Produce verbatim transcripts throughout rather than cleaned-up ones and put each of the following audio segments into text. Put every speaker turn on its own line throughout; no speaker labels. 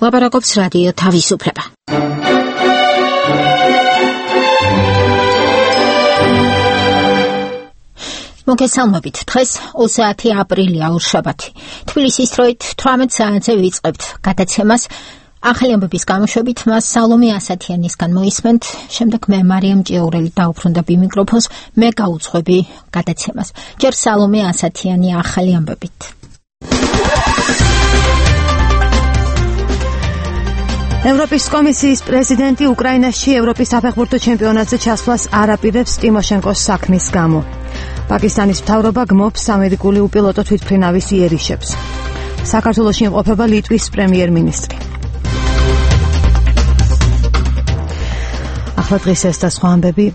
ლაპარაკობს რადიო თავისუფლება. მოგესალმებით. დღეს ოცდაათი აპრილია ორშაბათი. თბილისის დროით თვრამეტ საათზე ვიწყებთ გადაცემას. ახალი ამბების გამოშვებით მას სალომე ასათიანისგან მოისმენთ. შემდეგ მე მარიამ ჭიაურელი დაუბრუნდები მიკროფონს. მე გაუძღვები გადაცემას. ჯერ სალომე ასათიანი ახალი ამბებით.
ევროპის კომისიის პრეზიდენტი უკრაინაში ევროპის საფეხბურთო ჩემპიონატზე ჩასვლას არ აპირებს ტიმოშენკოს საქმის გამო. პაკისტანის მთავრობა გმობს ამერიკული უპილოტო თვითმფრინავის იერიშებს. საქართველოში იმყოფება ლიტვის პრემიერ-მინისტრი. ახლა დღეს ეს და სხვა ამბები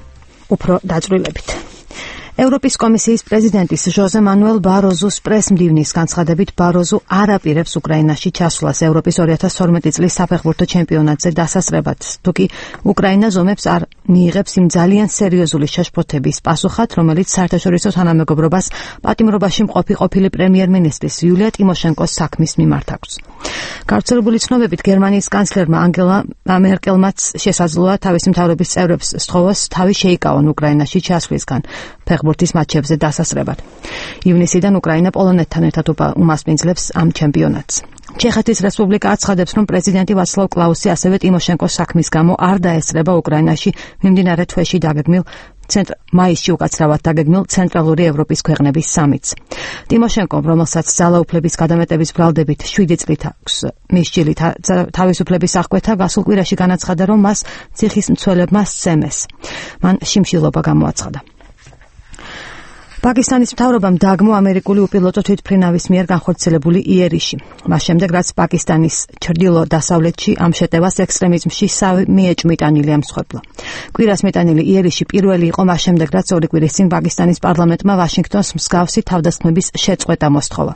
უფრო დაწვრილებით. ევროპის კომისიის პრეზიდენტის ჟოზე მანუელ ბაროზუს პრესმდივნის განცხადებით ბაროზუ არ აპირებს უკრაინაში ჩასვლას ევროპის ორი ათას თორმეტი წლის საფეხბურთო ჩემპიონატზე დასასრებად. თუკი უკრაინა ზომებს არ მიიღებს იმ ძალიან სერიოზული შეშფოთების პასუხად, რომელიც საერთაშორისო თანამეგობრობას პატიმრობაში მყოფი ყოფილი პრემიერ-მინისტრის იულია ტიმოშენკოს საქმის მიმართ აქვს. გავრცელებული ცნობებით გერმანიის კანცლერმა ანგელა მერკელმაც შესაძლოა თავისი მთავრობის წევრებს სთხოვოს თავი შეიკავონ უკრაინაში ჩასვლისგან ფეხბურთის მატჩებზე დასასრებად. ივნისიდან უკრაინა პოლონეთთან ერთად უმასპინძლებს ამ ჩემპიონატს. ჩეხეთის რესპუბლიკა აცხადებს, რომ პრეზიდენტი ვაცლავ კლაუსი ასევე ტიმოშენკოს საქმის გამო არ დაესწრება უკრაინაში მიმდინარე თვეში დაგეგმილ ცენტრ მაისში უკაცრავად დაგეგმილ ცენტრალური ევროპის ქვეყნების სამიტს. ტიმოშენკომ, რომელსაც ძალაუფლების გადამეტების ბრალდებით შვიდი წლით აქვს მისჯილი თავისუფლების აღკვეთა, გასულ კვირაში განაცხადა, რომ მას ციხის მცველებმა სცემეს. მან შიმშილობა გამოაცხადა. პაკისტანის მთავრობამ დაგმო ამერიკული უპილოტო თვითმფრინავის მიერ განხორციელებული იერიში. მას შემდეგ, რაც პაკისტანის ჩრდილო-დასავლეთში ამ შეტევას ექსტრემიზმში მიეჭმიტანილი ემსხვერპლა. კვირას მიტანილი იერიში პირველი იყო მას შემდეგ, რაც ორი კვირის წინ პაკისტანის პარლამენტმა ვაშინგტონს მსგავსი თავდასხმების შეწყვეტა მოსთხოვა.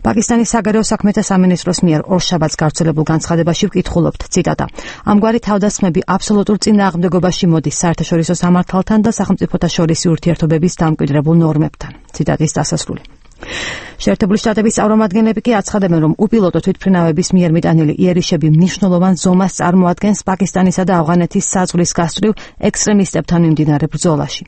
პაკისტანის საგარეო საქმეთა სამინისტროს მიერ ორშაბათს გავრცელებულ განცხადებაში ვკითხულობთ, ციტატა: ამგვარი თავდასხმები აბსოლუტურ წინააღმდეგობაში მოდის საერთაშორისო სამართალთან და სახელმწიფოთა შორისი ურთიერთობების დამკვიდრებულ ნორმებთან. ციტატის დასასრული. შეერთებული შტატების წარმომადგენლები კი აცხადებენ, რომ უპილოტო თვითმფრინავების მიერ მიტანილი იერიშები მნიშვნელოვან ზომას წარმოადგენს პაკისტანისა და ავღანეთის საზღვრის გასწვრივ ექსტრემისტებთან მიმდინარე ბრძოლაში.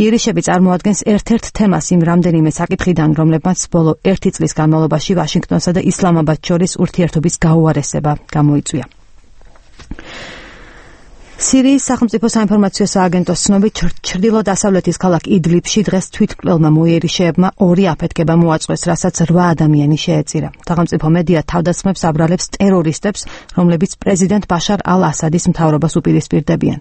იერიშები წარმოადგენს ერთ-ერთ თემას იმ რამდენიმე საკითხიდან, რომლებმაც ბოლო ერთი წლის განმავლობაში ვაშინგტონსა და ისლამაბადს შორის ურთიერთობის გაუარესება გამოიწვია. სირიის სახელმწიფო საინფორმაციო სააგენტოს ცნობით, ჩრდილო-დასავლეთის ქალაქ იდლიბში დღეს თვითმკვლელმა მოიერიშეებმა ორი აფეთქება მოაწყვეს, რასაც რვა ადამიანი შეეწირა. სახელმწიფო მედია თავდასხმებს აბრალებს ტერორისტებს, რომლებიც პრეზიდენტ ბაშარ ალ-ასადის მთავრობას უპირისპირდებიან.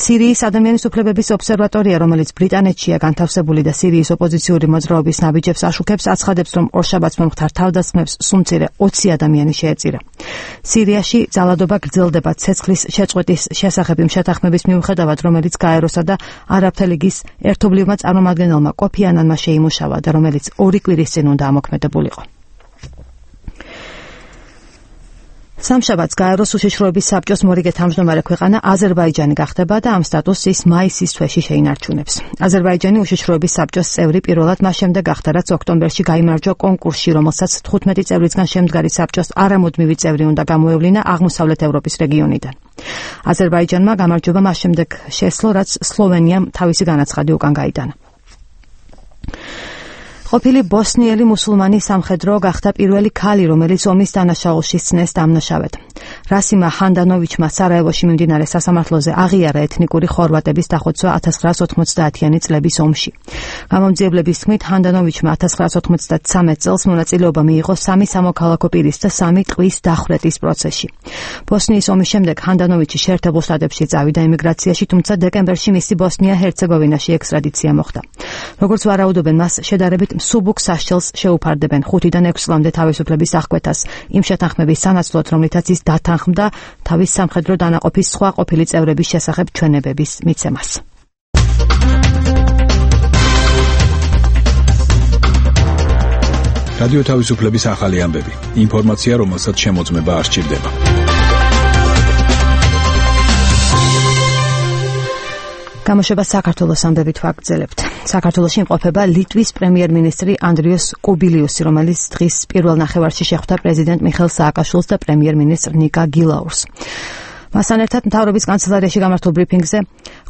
სირიის ადამიანის უფლებების ობსერვატორია, რომელიც ბრიტანეთშია განთავსებული და სირიის ოპოზიციური მოძრაობის ნაბიჯებს აშუქებს, აცხადებს, რომ ორშაბათს მომხდარ თავდასხმებს სულ მცირე ოცი ადამიანი შეეწირა. სირიაში ძალადობა გრძელდება ცეცხლის შეწყვეტის შესახებ შეთანხმების მიუხედავად, რომელიც გაეროსა და არაბთა ლიგის ერთობლივმა წარმომადგენელმა კოფი ანანმა შეიმუშავა და რომელიც ორი კვირის წინ უნდა ამოქმედებულიყო. სამშაბათს გაეროს უშიშროების საბჭოს მორიგე თავმჯდომარე ქვეყანა აზერბაიჯანი გახდება და ამ სტატუსს ის მაისის თვეში შეინარჩუნებს. აზერბაიჯანი უშიშროების საბჭოს წევრი პირველად მას შემდეგ გახდა, რაც ოქტომბერში გაიმარჯვა კონკურსში, რომელსაც თხუთმეტი წევრისგან შემდგარი საბჭოს არამუდმივი წევრი უნდა გამოევლინა აღმოსავლეთ ევროპის რეგიონიდან. აზერბაიჯანმა გამარჯვება მას შემდეგ შესძლო, რაც სლოვენიამ თავისი განაცხადი უკან გაიტანა. ყოფილი ბოსნიელი მუსულმანი სამხედრო გახდა პირველი ქალი, რომელიც ომის დანაშაულში სცნეს დამნაშავედ. რასიმა ჰანდანოვიჩმა სარაევოში მიმდინარე სასამართლოზე აღიარა ეთნიკური ხორვატების დახოცვა ათას ცხრაას ოთხმოცდაათიანი წლების ომში. გამომძიებლების თქმით, ჰანდანოვიჩმა ათას ცხრაას ოთხმოცდათრამეტ წელს მონაწილეობა მიიღო სამი სამოქალაქო პირის და სამი ტყვის დახვრეტის პროცესში. ბოსნიის ომის შემდეგ ჰანდანოვიჩი შეერთებულ შტატებში წავიდა ემიგრაციაში, თუმცა დეკემბერში მისი ბოსნია-ჰერცეგოვინაში ექსტრადიცია მოხდა. როგორც ვარაუდობენ, მას შედარებით მსუბუქ სასჯელს შეუფარდებენ ხუთიდან ექვს წლამდე თავისუფლების აღკვეთას, იმ შეთანხმების სანაცვლოდ, რომლითაც ის დათანხმდა თავის სამხედრო დანაყოფის სხვა ყოფილი წევრების შესახებ ჩვენებების მიცემას.
რადიო თავისუფლების ახალი ამბები. ინფორმაცია, რომელსაც შემოწმება არ სჭირდება.
გამოშვება საქართველოს ამბებით ვაგრძელებთ. საქართველოში იმყოფება ლიტვის პრემიერ-მინისტრი ანდრიუს კუბილიუსი, რომელიც დღის პირველ ნახევარში შეხვდა პრეზიდენტ მიხეილ სააკაშვილს და პრემიერ-მინისტრ ნიკა გილაურს. მასთან ერთად მთავრობის კანცელარიაში გამართულ ბრიფინგზე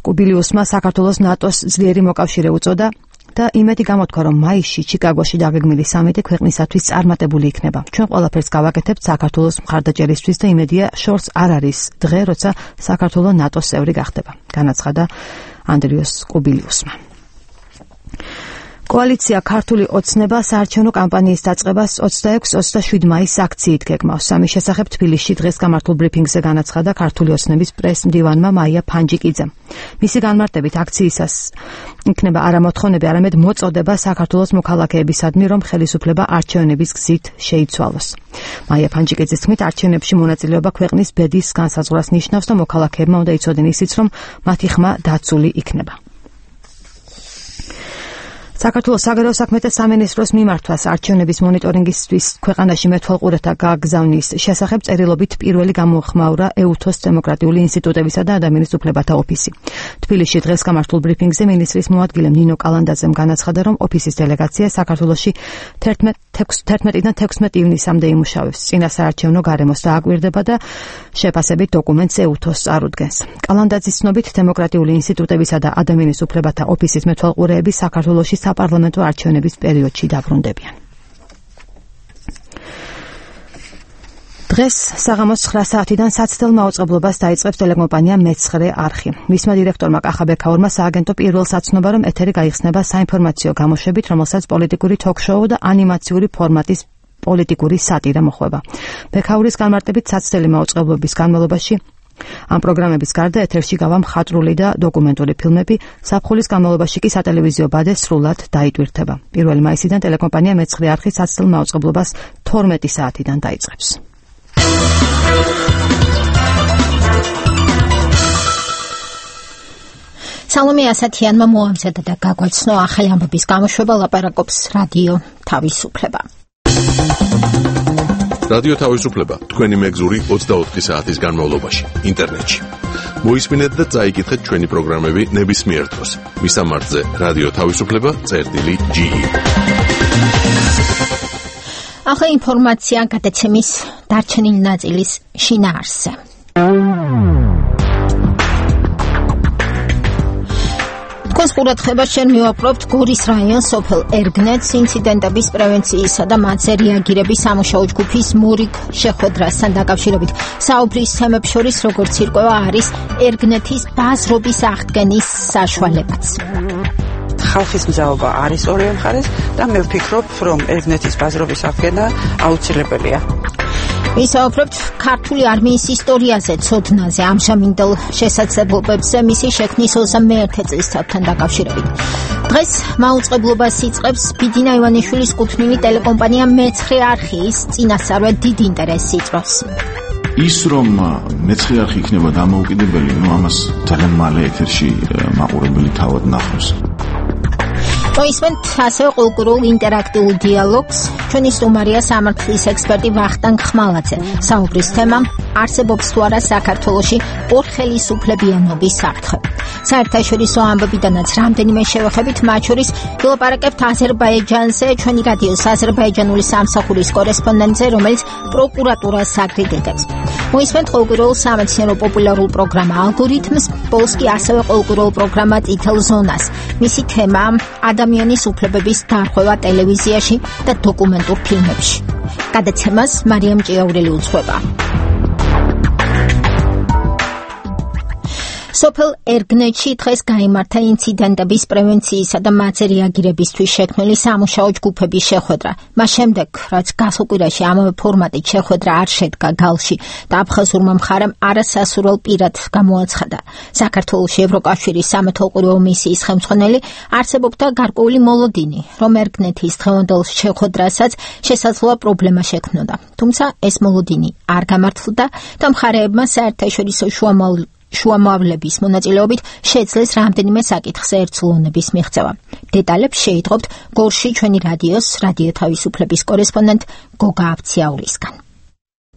კუბილიუსმა საქართველოს ნატოს ძლიერი მოკავშირე უწოდა და იმედი გამოთქვა, რომ მაისში ჩიკაგოში დაგეგმილი სამიტი ქვეყნისათვის წარმატებული იქნება. ჩვენ ყველაფერს გავაკეთებთ საქართველოს მხარდაჭერისთვის და იმედია შორს არ არის დღე, როცა საქართველო ნატოს წევრი გახდება, განაცხადა ანდრიუს კუბილიუსმა. კოალიცია ქართული ოცნება საარჩევნო კამპანიის დაწყებას ოცდაექვსი ოცდაშვიდი მაისს აქციით გეგმავს. ამის შესახებ თბილისში დღეს გამართულ ბრიფინგზე განაცხადა ქართული ოცნების პრეს-მდივანმა მაია ფანჯიკიძემ. მისი განმარტებით აქციისას იქნება არა მოთხოვნები, არამედ მოწოდება საქართველოს მოქალაქეებისადმი, რომ ხელისუფლება არჩევნების გზით შეიცვალოს. მაია ფანჯიკიძის თქმით, არჩევნებში მონაწილეობა ქვეყნის ბედის განსაზღვრას ნიშნავს და მოქალაქეებმა უნდა იცოდნენ ისიც, რომ მათი ხმა დაცული იქნება. საქართველოს საგარეო საქმეთა სამინისტროს მიმართვას არჩევნების მონიტორინგისთვის ქვეყანაში მეთვალყურეთა გაგზავნის შესახებ წერილობით პირველი გამოხმაურა ეუთოს დემოკრატიული ინსტიტუტებისა და ადამიანის უფლებათა ოფისი. თბილისში დღეს გამართულ ბრიფინგზე მინისტრის მოადგილე ნინო კალანდაძემ განაცხადა, რომ ოფისის დელეგაცია საქართველოში თერთმეტიდან თექვსმეტი ივნისამდე იმუშავებს. წინა საარჩევნო გარემოს დააკვირდება და შეფასებით დოკუმენტს ეუთოს წარუდგენს. კალანდაძის ცნობით, დემოკრატიული ინსტიტუტებისა და ადამიანის უფლებათა ოფისის მეთვალყურეები საქართველოში საპარლამენტო არჩევნების პერიოდში დაბრუნდებიან. დღეს საღამოს ცხრა საათიდან საცდელ მაუწყებლობას დაიწყებს ტელეკომპანია მეცხრე არხი. მისმა დირექტორმა კახაბექაურმა სააგენტო პირველს აცნობა, რომ ეთერი გაიხსნება საინფორმაციო გამოშვებით, რომელსაც პოლიტიკური თოქ-შოუ და ანიმაციური ფორმატის პოლიტიკური სატირა მოხვება. ბექაურის განმარტებით, საცდელი მაუწყებლობის განმავლობაში ამ პროგრამების გარდა ეთერში გავა მხატვრული და დოკუმენტური ფილმები, ზაფხულის განმავლობაში კი სატელევიზიო ბადე სრულად დაიტვირთება. პირველი მაისიდან ტელეკომპანია მეცხრე არხი საცდელ მაუწყებლობას თორმეტი საათიდან დაიწყებს.
სალომე ასათიანმა მოამზადა და გაგვაცნო ახალი ამბების გამოშვება, ლაპარაკობს რადიო თავისუფლება.
რადიო თავისუფლება თქვენი მეგზური ოცდაოთხი საათის განმავლობაში ინტერნეტში. მოისმინეთ და წაიკითხეთ ჩვენი პროგრამები ნებისმიერ დროს. მისამართზე რადიო თავისუფლება წერტილი ჯი.
ახლა ინფორმაცია გადაცემის დარჩენილი ნაწილის შინაარსზე. თქვენს ყურადღებას შენ მივაპყრობთ გორის რაიონს სოფელ ერგნეთს ინციდენტების პრევენციისა და მათზე რეაგირების სამუშაო ჯგუფის მურიგ შეხვედრასთან დაკავშირებით. საუბრის თემებს შორის როგორც ირკვევა არის ერგნეთის ბაზრობის აღდგენის საშუალებაც.
ხალხის მზაობა არის ორივე მხარეს და მე ვფიქრობ, რომ ერგნეთის ბაზრობის აღდგენა აუცილებელია.
ვისაუბრებთ ქართული არმიის ისტორიაზე, ცოდნაზე, ამჟამინდელ შესაძლებლობებზე მისი შექმნის ოცდამეერთე წლისთავთან დაკავშირებით. დღეს მაუწყებლობას იწყებს ბიძინა ივანიშვილის კუთვნილი ტელეკომპანია მეცხრე არხი, ის წინასწარვე დიდ ინტერესს იწვევს.
ის რომ მეცხრე არხი იქნება დამოუკიდებელი, ნუ ამას ძალიან მალე ეთერში მაყურებელი თავად ნახავს.
მოისმენთ ასევე კულტურულ ინტერაქტიულ დიალოგს. ჩვენი სტუმარია სამართლის ექსპერტი ვახტანგ ხმალაძე. საუბრის თემა არსებობს თუ არა საქართველოში ორხელისუფლებიანობის საფრთხე. საერთაშორისო ამბებიდანაც რამდენიმე შევეხებით, მათ შორის ვილაპარაკებთ აზერბაიჯანზე, ჩვენი რადიოს აზერბაიჯანული სამსახურის კორესპონდენტზე, რომელიც პროკურატურას აგრიგენტებს. მოისმენთ კულტურულ სამეცნიერო პოპულარულ პროგრამა ალგორითმს, ბოლოს კი ასევე კულტურულ პროგრამა წითელ ზონას. მისი თემა ადამიანის უფლებების დარღვევა ტელევიზიაში და დოკუმენტურ ფილმებში. გადაცემას მარიამ ჭიაურელი უძღვება. სოფელ ერგნეთში დღეს გაიმართა ინციდენტების პრევენციისა და მათზე რეაგირებისთვის შექმნილი სამუშაო ჯგუფების შეხვედრა. მას შემდეგ, რაც გასულ კვირაში ამავე ფორმატით შეხვედრა არ შედგა გალში და აფხაზურმა მხარემ არასასურველ პირად გამოაცხადა. საქართველოში ევროკავშირის სამეთვალყურეო მისიის ხელმძღვანელი არსებობდა გარკვეული მოლოდინი, რომ ერგნეთის დღევანდელ შეხვედრასაც შესაძლოა პრობლემა შექმნოდა. თუმცა ეს მოლოდინი არ გამართლდა და მხარეებმა საერთაშორისო შუამავლ შუამავლების მონაწილეობით შეძლეს რამდენიმე საკითხზე ერთსულოვნების მიღწევა. დეტალებს შეიტყობთ გორში ჩვენი რადიოს რადიო თავისუფლების კორესპონდენტ გოგა აბციაურისგან.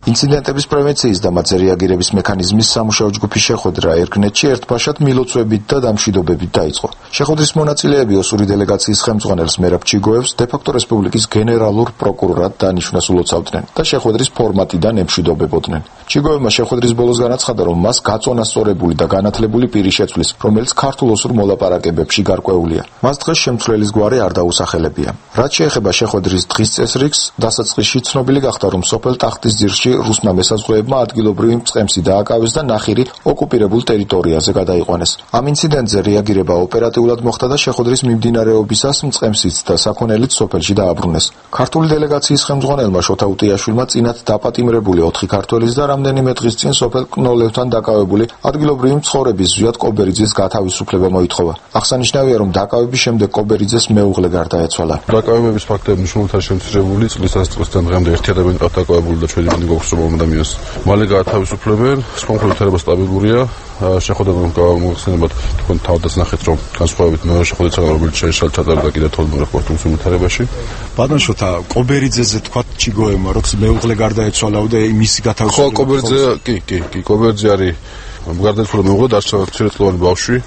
ინციდენტების პრევენციის და მათზე რეაგირების მექანიზმის სამუშაო ჯგუფის შეხვედრა ერგნეთში ერთბაშად მილოცვებით და დამშვიდობებით დაიწყო. შეხვედრის მონაწილეები ოსური დელეგაციის ხელმძღვანელს მერაბ ჩიგოევს დე-ფაქტო რესპუბლიკის გენერალურ პროკურორად დანიშვნას ულოცავდნენ და შეხვედრის ფორმატიდან ემშვიდობებოდნენ. ჩიგოევმა შეხვედრის ბოლოს განაცხადა, რომ მას გაწონასწორებული და განათლებული პირი შეცვლის, რომელიც ქართულ ოსურ მოლაპარაკებებში გარკვეულია. მას დღეს შემცვლელის გვარი არ დაუსახელებია. რაც შეეხება შეხვედრის დღის წესრიგს, დასაწყისში ცნობილი გახდა, რომ სოფელ ტახტის ძირში რუსმა მესაზღვრეებმა ადგილობრივი მწყემსი დააკავეს და ნახირი ოკუპირებულ ტერიტორიაზე გადაიყვანეს. ამ ინციდენტზე რეაგირება ოპერატიულად მოხდა და შეხვედრის მიმდინარეობისას მწყემსიც და საქონელიც სოფელში დააბრუნეს. ქართული დელეგაციის ხელმძღვანელმა შოთა უტიაშვილმა წინათ დაპატიმრებული ოთხი ქართველის და რამდენიმე დღის წინ სოფელ კნოლევთან დაკავებული ადგილობრივი მცხოვრების ზვიად კობერიძის გათავისუფლება მოითხოვა. აღსანიშნავია, რომ დაკავების შემდეგ კობერიძეს მეუღლე გარდაეცვალა.
დაკავების ფაქტები მნიშვნელოვნად შემცირებული, წლის დასაწყისიდან დღემდე ერთი ადამიანი ყავთ დაკავებული და ჩვენი მინდი გვაქვს, რომ ადამიანს მალე გაათავისუფლებენ. კონკრეტულად სტაბილურია. შეხვედრა მოიხსენებათ თქვენ თავდაც ნახეთ, რომ განსხვავებით მეორე შეხვედრისგან, რომელიც შეშალ ჩატარდა კიდევ თორმეტ პორტულის უმთავრებაში.
ბატონ შოთა, კობერიძეზე თქვა ჩიგოევმა, რომ მეუღლე გარდაეცვალა და მისი გათავისუფლება.
ხო, კობერიძე, კი, კი, კი, კობერიძე არის გარდაიცვალა მეუღლე, დარჩა მცირეწლოვანი ბავშვი.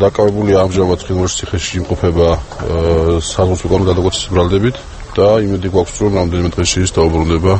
დაკავებულია ამჟამად ხინვალის ციხეში იმყოფება საზღვაო კონტროლის გადაკვეთის ბრალდებით და იმედი გვაქვს, რომ რამდენიმე დღეში ის დაუბრუნდება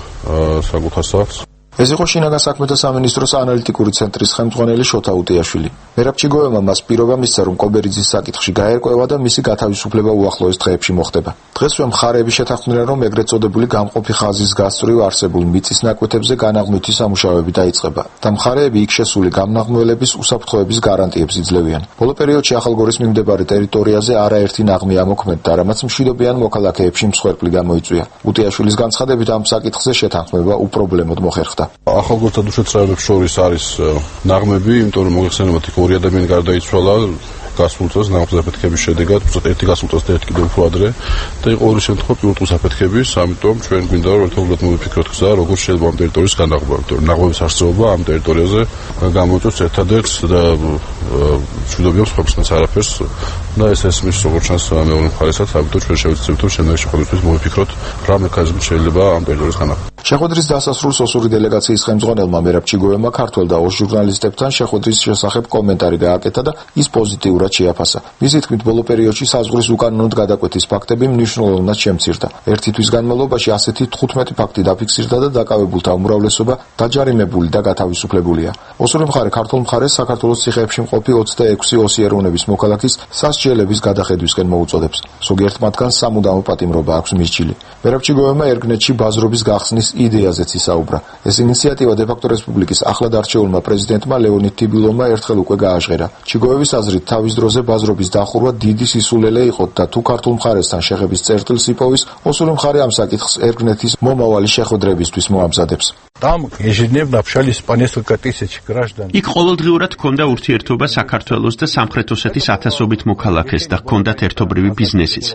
საკუთარ სახლს.
ეს იყო შინაგან საქმეთა სამინისტროს ანალიტიკური ცენტრის ხელმძღვანელი შოთა უტიაშვილი. მერაბ ჩიგოევმა მას პირობა მისცა, რომ კობერიძის საკითხში გაერკვევა და მისი გათავისუფლება უახლოეს დღეებში მოხდება. დღესვე მხარეები შეთანხმდნენ, რომ ეგრეთ წოდებული გამყოფი ხაზის გასწვრივ არსებულ მიწის ნაკვეთებზე განაღმვითი სამუშაოები დაიწყება და მხარეები იქ შესული გამნაღმველების უსაფრთხოების გარანტიებს იძლევიან. ბოლო პერიოდში ახალგორის მიმდებარე ტერიტორიაზე არაერთი ნაღმი ამოქმედდა, რამაც მშვიდობიან მოქალაქეებში მსხვერპლი გამოიწვია. უტიაშვილის განცხადებით, ამ საკითხზე შეთანხმება უპრობლემოდ მოხერხდა.
ახალგორსა და დუშეთის რაიონებში შორის არის ნაღმები, იმიტომ რომ მოიხსენებათ, იქ ორი ადამიანი გარდაიცვალა გასულ წელს ნაღმის აფეთქების შედეგად, უბრალოდ ერთი გასულ წელს და ერთი კიდევ უფრო ადრე და იყო ორი შემთხვევა პირუტყვის აფეთქების, ამიტომ ჩვენ გვინდა რომ ერთობლივად მოვიფიქროთ გზა, როგორ შეიძლება ამ ტერიტორიის განაღობა, იმიტომ რომ ნაღმების არსებობა ამ ტერიტორიაზე გამოიწვევს ერთადერთ და მშვიდობიობს ხალხს არაფერს და ეს ესმის როგორც ჩანს მეორე მხარესაც, ამიტომ ჩვენ შევეცდებით რომ შემდეგი შეხვედრისთვის მოვიფიქროთ რა მექანიზმით შეიძლება ამ ტერიტორიის განაღობა.
შეხვედრის დასასრულს ოსური დელეგაციის ხელმძღვანელმა მერაბ ჩიგოევმა ქართველ და ოს ჟურნალისტებთან შეხვედრის შესახებ კომენტარი გააკეთა და ის პოზიტიურად შეაფასა. მისი თქმით, ბოლო პერიოდში საზღვრის უკანონოდ გადაკვეთის ფაქტები მნიშვნელოვნად შემცირდა. ერთი თვის განმავლობაში ასეთი თხუთმეტი ფაქტი დაფიქსირდა და დაკავებულთა უმრავლესობა დაჯარიმებული და გათავისუფლებულია. ოსური მხარე ქართულ მხარეს საქართველოს ციხეებში მყოფი ოცდაექვსი ოსი ეროვნების მოქალაქის სასჯელების გადახედვისკენ მოუწოდებს. ზოგიერთ მათგანს სამუდამო პატიმრობა აქვს მისჯილი. მერაბ ჩიგოევმა ერგნეთში ბაზრობის გახსნის იდეაზეც ისაუბრა. ეს ინიციატივა დე-ფაქტო რესპუბლიკის ახლად არჩეულმა პრეზიდენტმა ლეონიდ თიბილოვმა ერთხელ უკვე გააჟღერა. ჩიგოევის აზრით, თავის დროზე ბაზრობის დახურვა დიდი სისულელე იყო და თუ ქართულ მხარესთან შეხების წერტილს იპოვის, ოსური მხარე ამ საკითხს ერგნეთის მომავალი შეხვედრებისთვის მოამზადებს.
იქ ყოველდღიურად ჰქონდა ურთიერთობა საქართველოს და სამხრეთ ოსეთის ათასობით მოქალაქეს და ჰქონდათ ერთობრივი ბიზნესიც.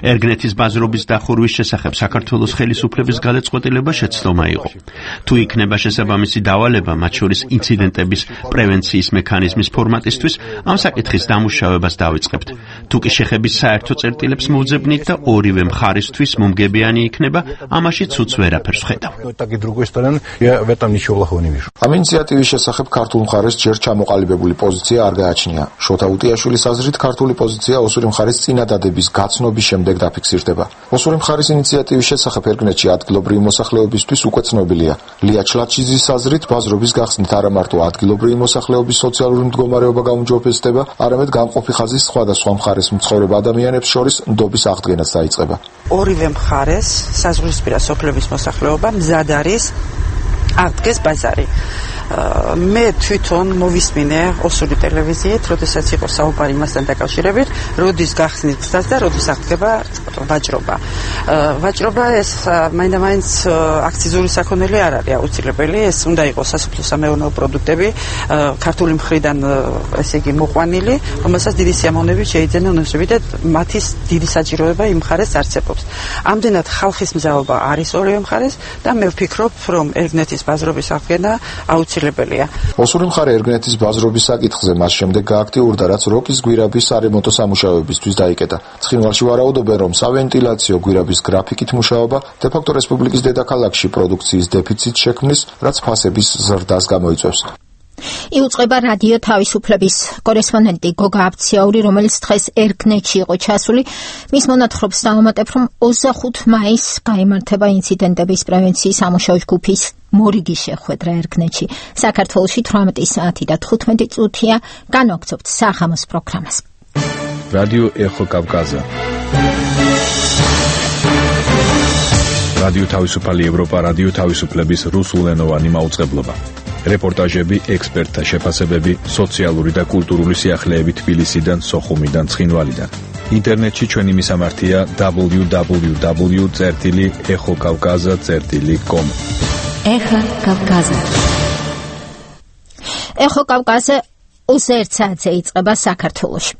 ერგნეთის ბაზრობის დახურვის შესახებ საქართველოს ხელისუფლების გადაწყვეტილება შეცდომა იყო. თუ იქნება შესაბამისი დავალება, მათ შორის ინციდენტების პრევენციის მექანიზმის ფორმატისთვის, ამ საკითხის დამუშავებას დავიწყებთ. თუ კი შეხების საერთო წერტილებს მოვძებნით და ორივე მხარისთვის მომგებიანი იქნება, ამაში ცუც ვერაფერს ვხედავ.
ამ ინიციატივის შესახებ ქართულ მხარეს ჯერ ჩამოყალიბებული პოზიცია არ გააჩნია. შოთა უტიაშვილის აზრით, ქართული პოზიცია ოსური მხარის წინადადების გაცნობის შემდეგ დაფიქსირდება. ოსური მხარის ინიციატივის შესახებ ერგნეთში ადგილობრივი მოსახლეობისთვის უკვე ცნობილია. ლია ჩლაჩიძის აზრით, ბაზრობის გახსნით არა მარტო ადგილობრივი მოსახლეობის სოციალური მდგომარეობა გაუმჯობესდება, არამედ გამყოფი ხაზის სხვადასხვა მხარეს მცხოვრებ ადამიანებს შორის ნდობის აღდგენაც დაიწყება.
ორივე მხარეს საზღვრისპირა სოფლების მოსახლეობა მზად არის აღდგეს ბაზარი. მე თვითონ მოვისმინე ოსური ტელევიზიით, როდესაც იყო საუბარი მასთან დაკავშირებით, როდის გახსნით გზას და როდის აღდგება ვაჭრობა. ვაჭრობა ეს მაინდა-მაინც აქციზური საქონელი არ არის აუცილებელი, ეს უნდა იყოს სასოფლო-სამეურნეო პროდუქტები, ქართული მხრიდან ესე იგი მოყვანილი, რომელსაც დიდი სიამოვნებით შეიძენენ უნივერსიტეტები და მათი დიდი საჭიროება იმ მხარეს არსებობს. ამდენად ხალხის მზაობა არის ორივე მხარეს და მე ვფიქრობ, რომ ერგნეთის ბაზრობის აღდგენა აუცილებელი აუცილებელია.
ოსური მხარე ერგნეთის ბაზრობის საკითხზე მას შემდეგ გააქტიურდა, რაც როკის გვირაბის სარემონტო სამუშაოებისთვის დაიკეტა. ცხინვალში ვარაუდობენ, რომ სავენტილაციო გვირაბის გრაფიკით მუშაობა დე-ფაქტო რესპუბლიკის დედაქალაქში პროდუქციის დეფიციტს შექმნის, რაც ფასების ზრდას გამოიწვევს.
იუწყება რადიო თავისუფლების კორესპონდენტი გოგა აბციაური, რომელიც დღეს ერგნეთში იყო ჩასული. მის მონათხრობს დავამატებ, რომ ოცდახუთი მაისს გაიმართება ინციდენტების პრევენციის სამუშაო ჯგუფის მორიგი შეხვედრა ერგნეთში. საქართველოში თვრამეტი საათი და თხუთმეტი წუთია. განვაგრძობთ საღამოს პროგრამას.
რადიო ეხო კავკაზა. რადიო თავისუფალი ევროპა, რადიო თავისუფლების რუსულენოვანი მაუწყებლობა. რეპორტაჟები, ექსპერტთა შეფასებები, სოციალური და კულტურული სიახლეები თბილისიდან, სოხუმიდან, ცხინვალიდან. ინტერნეტში ჩვენი მისამართია დაბლიუ დაბლიუ დაბლიუ წერტილი ეხო კავკაზა წერტილი კომ.
ეხო კავკაზა. ეხო კავკაზა ოცდაერთ საათზე იწყება საქართველოში.